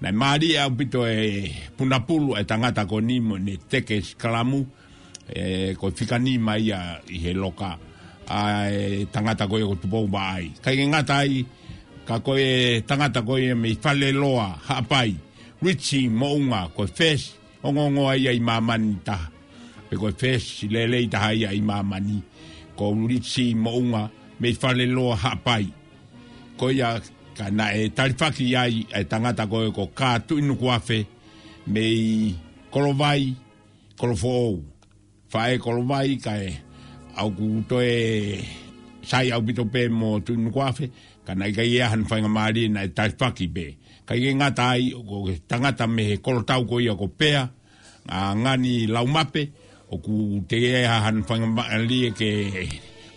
Naʻe mālie ʻaupito e punapulu e tangata ko eni mo ʻene teke sikalamu, ʻe, ko e fika nima ia ʻi he loka, ʻa e tangata ko ia ko Tupou Vaʻai. ʻIkai ke ngata ai, ka ko e tangata ko ia mei Faleloa, Haʻapai, Richie Moʻunga, ko e first ongoongoa ia ʻi māmani taha. Pe ko e first lelei taha ia ʻi māmani, ko Richie Moʻunga mei Faleloa, Haʻapai. Ko ia ka naʻe talifaki ai e tangata ko ē ko Kā Tuʻinukuafe mei Kolovai, Kolofoʻou. Faʻē Kolovai kae ʻoku toe sai ʻaupito pē mo Tuʻinukuafe, ka naʻe ʻikai ʻi ai hano faingamālie naʻe talifaki pē. ʻIkai ke ngata ai, ko e tangata mei he kolotau ko ia ko Pea, ʻa Ngani Laumape, ʻoku teʻeki ai ha hano faingamālie ke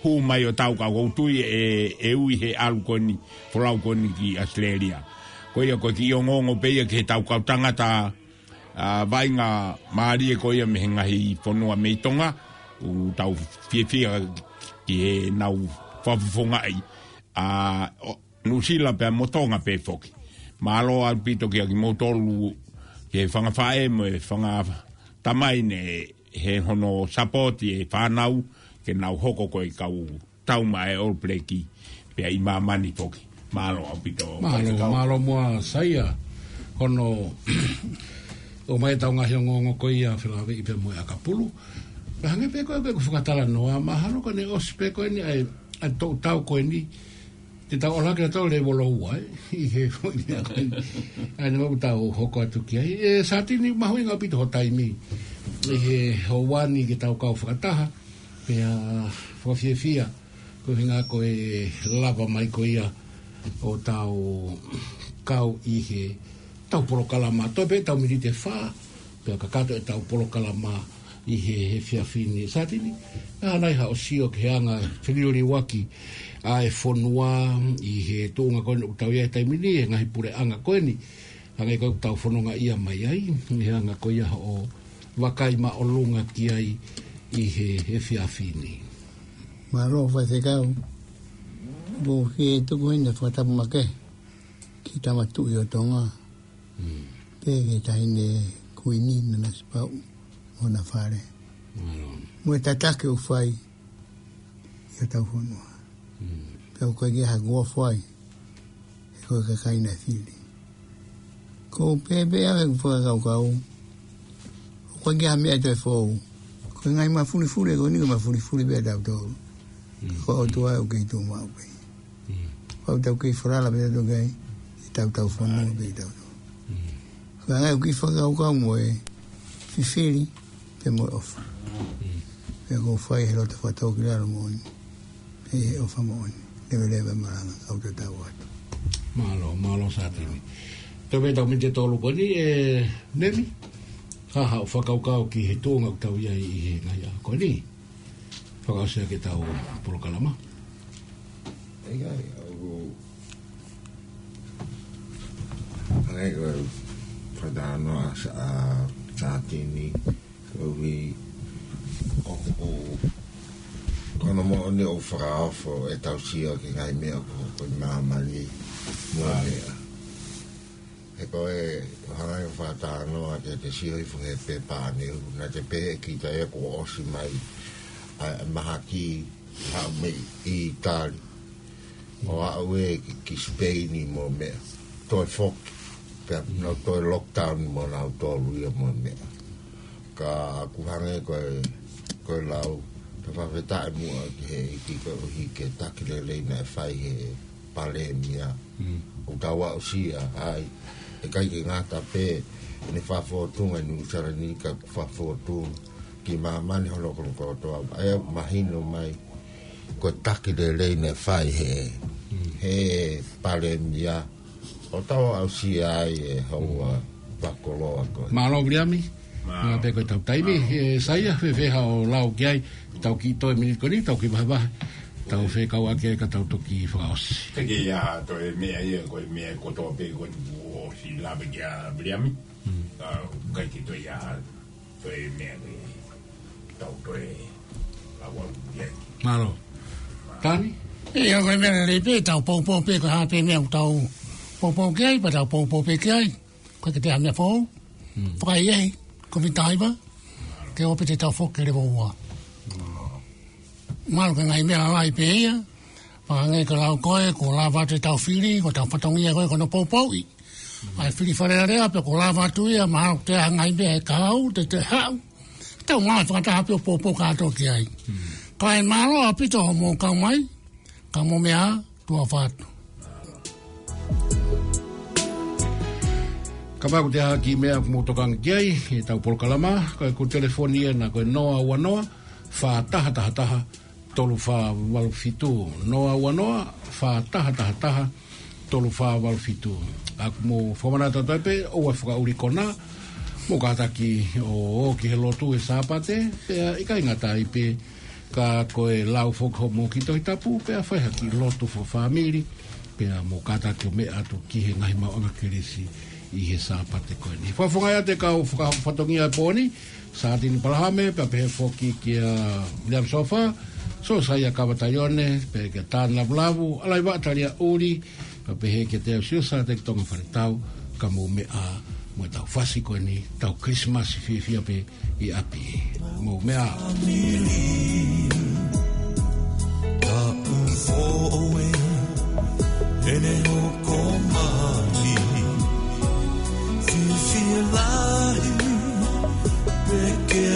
hū mai ʻo tau ka ʻoku ou tui ʻe, ʻe ui he ʻalu ko eni, folau ko eni ki ʻAositelēlia. Ko ia ko e kiʻi ongoongo pē ia ki heʻetau kau tangata, ʻa, vaʻinga mālie ko ia mei he ngaahi fonua mei Tonga, ʻoku tau fiefia ki heʻenau fakafofongaʻi, ʻa, ʻo, Nuʻusila pea mo Tonga pē foki. Mālō ʻaupito kia kimoutolu, ki he fanga faʻē mo e fanga tamai ne he hono sapoti e fānau, ke nau hoko ko e kau tau maʻa e All Black, pea ʻi māmani foki. Mālō ʻaupito. Mālō, mālō muʻa Saia. Hono ʻomai ʻetau ngaahi ongoongo ko ia felāveʻi pea mo e ʻakapulu. Pea hangē pē ko e, ko e fakatalanoa, mahalo ko ʻene ʻosi pē ko eni ʻa e ʻa e toʻu tau ko eni, te tau ʻola ke tau lēvolo ua, ē, ʻi he foʻi meʻa ko eni. ʻA ia naʻa mau tau hoko atu ki ai. ʻE, Sātini, mahuʻinga ʻaupito hoʻo taimi ʻi he houa ni ke tau kau fakataha, pea fakafiefia, ko e ʻuhinga ko e lava mai ko ia ʻo tau kau ʻi he tau polokalama, toe pē tau miniti ʻe fā, pea kakato ʻetau polokalama ʻi he, he efiafi ni. Sātini, ʻa e hā nai haʻo sio ki he anga feliliuaki ʻa e fonua ʻi he tuʻunga ko eni ʻoku tau ʻi ai he taimi ni, he ngaahi puleʻanga ko eni, hangē ko ʻetau fononga ia mai ai, ʻi he anga ko ia hoʻo vakai māʻolunga ki ai ʻi he, he efiafi ni. Mālō, Faifekau. Ko e tuku heni e fakatapu makehe ki he Tama Tuʻi ʻo Tonga. Mm. Pea ki he Taʻahine Kuini Nanasipauʻu mo hona fale. Mālō. Mo e tataki ʻoku fai ʻi hotau fonua. Mm. Pea ʻoku ʻikai ke ʻi ai ha kuo fai, he ko e kakai naʻe fili. Ko e pehē pē ʻa e fakakaukau, ʻoku ʻikai ke ʻi ai ha meʻa toe fou. Ko e ngaahi mafulifuli ko eni, ko e mafulifuli pē ʻa tautolu. Mm. Ko e ʻOtua ʻoku kei tuʻu maʻu pē. Mm. Pau tau kei falala pē tautolu ki ai, ʻi he tau tau fonua pē tautolu. Mm. Ko e anga ʻoku kiʻi fakakaukau mo e fifili, pea mo e ʻofa. Mm. Pea ʻoku fai he loto fakatōkilalo moʻoni, he ʻofa moʻoni, leveleva e malanga, kau tatau atu. Mālō, mālō Sātini. Toe pē tau miniti ʻe tolu ko eni, ʻe Nemi, hā haʻo fakakaukau ki he tuʻunga ʻoku tau ʻi ai ʻi he ngaahi ʻaho ko eni. Fakaʻosi ʻaki ʻetau polokalama. ʻIkai, ʻoku ʻai ko e fakatalanoa ʻa Sā-, ʻa Sātini, koeʻuhi ʻoku, ko hono moʻoni ʻoku fakaofo ʻetau sio ki he ngaahi meʻa ʻoku hoko ʻi māmani mo e meʻa. He ko e hanga ʻo fakatalanoa ke te sio hifo he pepa ʻaneuhu, naʻa te pehē kita ia kuo ʻosi mai ʻa e mahaki, haʻu mei ʻĪtali, ʻo aʻu ē ki, ki Sipeini mo e meʻa. Toe foki, pea nau toe lockdown mo nautolu ia mo e meʻa. Ka ʻoku hangē ko e, ko e lau, tau fakafetaʻi muʻa ki he ʻEiki koeʻuhi ko e taki lelei naʻe fai he Palēmia. Mm. ʻOku tau aʻusia ai, ʻikai ke ngata pē ʻene fakafōtunga ʻi Nuʻusila ni ka fakafōtunga ki māmani hono kono kotoa. ʻA ia ʻoku mahino mai ko e taki lelei naʻe fai he, mm, he Palēmia. ʻOku tau aʻusia ai e houa, mm, fakakoloa ko ē. Mālō Viliami. Mālō. Meʻa pē ko ʻetau taimi, ʻe Saia, fēfē haʻo lau ki ai, tau kiʻi toe miniti ko eni, tau kiʻi vahevahe, tau fekauʻaki ai ka tau toki fakaʻosi. Te ke ia toe meʻa ia, ko e meʻa kotoa pē ko eni kuo ʻosi lave ki ai Viliami. Mm. ʻA, ʻikai ke toe ia toe meʻa ke tau toe lau au ki ai. Mālō. Tani? ʻIo, ko e meʻa lelei pē, tau poupou pē, ko e hā pē meʻa ʻoku tau poupou ki ai, pea tau poupou pē ki ai. Ko e ke te ha meʻa fou. Mm. Fakaʻehiʻehi, ko e mitaʻi vā, ke ō pē te tau foki ki he level ua. Mālō, ko e ngaahi meʻa lalahi pē ia. Pea hangē ko e lau ko ē, kuo lava atu ʻetau fili, ko ʻetau fatongia ko ē, ko hono poupouʻi ʻa e fili Fale Alea, pea kuo lava atu ia, mahalo ʻoku toe ʻi ai ha ngaahi meʻa ʻe kahaʻu, te te haʻu. Tau ngāue fakataha pē ʻo poupou kātoa ki ai. Mm. Kae mālō ʻaupito hoʻomou kau mai, ka mou meʻa ā, tuʻa ʻofa atu. Kapau ʻoku toe ʻi ai ha kiʻi meʻa ʻoku mou tokanga ki ai, ʻi heʻetau polokalama, ko ʻeku telefoni ena ko e noa ua noa, fā taha taha taha, tolu fā valu fitu, noa ua noa, fā taha taha taha, tolu fā valu fitu. ʻOku mou fakamanatu atu ai pē, ʻoua ʻe fakaʻuli konā, mou kātaki ʻo ō ki he lotu he Sāpate, pea ʻikai ngata ai pē, ka ko e lau foki hoʻomou kiʻi Tohi Tapu, pea fai ha kiʻi lotu fakafāmili, pea mou kātaki ʻo meʻa atu ki he ngaahi maʻuʻanga kelesi ʻi he Sāpate ko eni. Fakafofongaʻi atu e kau fakafatongia e pō ni, Sātini Palahame, pea pehē foki kia Viliami Sofa, Sōsaia Kava Taione, pea kia Tani Lavulavu, Alaiva Talia ʻUli, pea pehē kia Teo Siusa, Teki Tonga Faletau, ka mou meʻa ā mo ʻetau fasi ko eni, tau Kilisimasi fiefia pē ʻi ʻapi. Mou meʻa ā. Tapu foʻou ē, ʻene hoko mai. Fiefia lahi, pea ke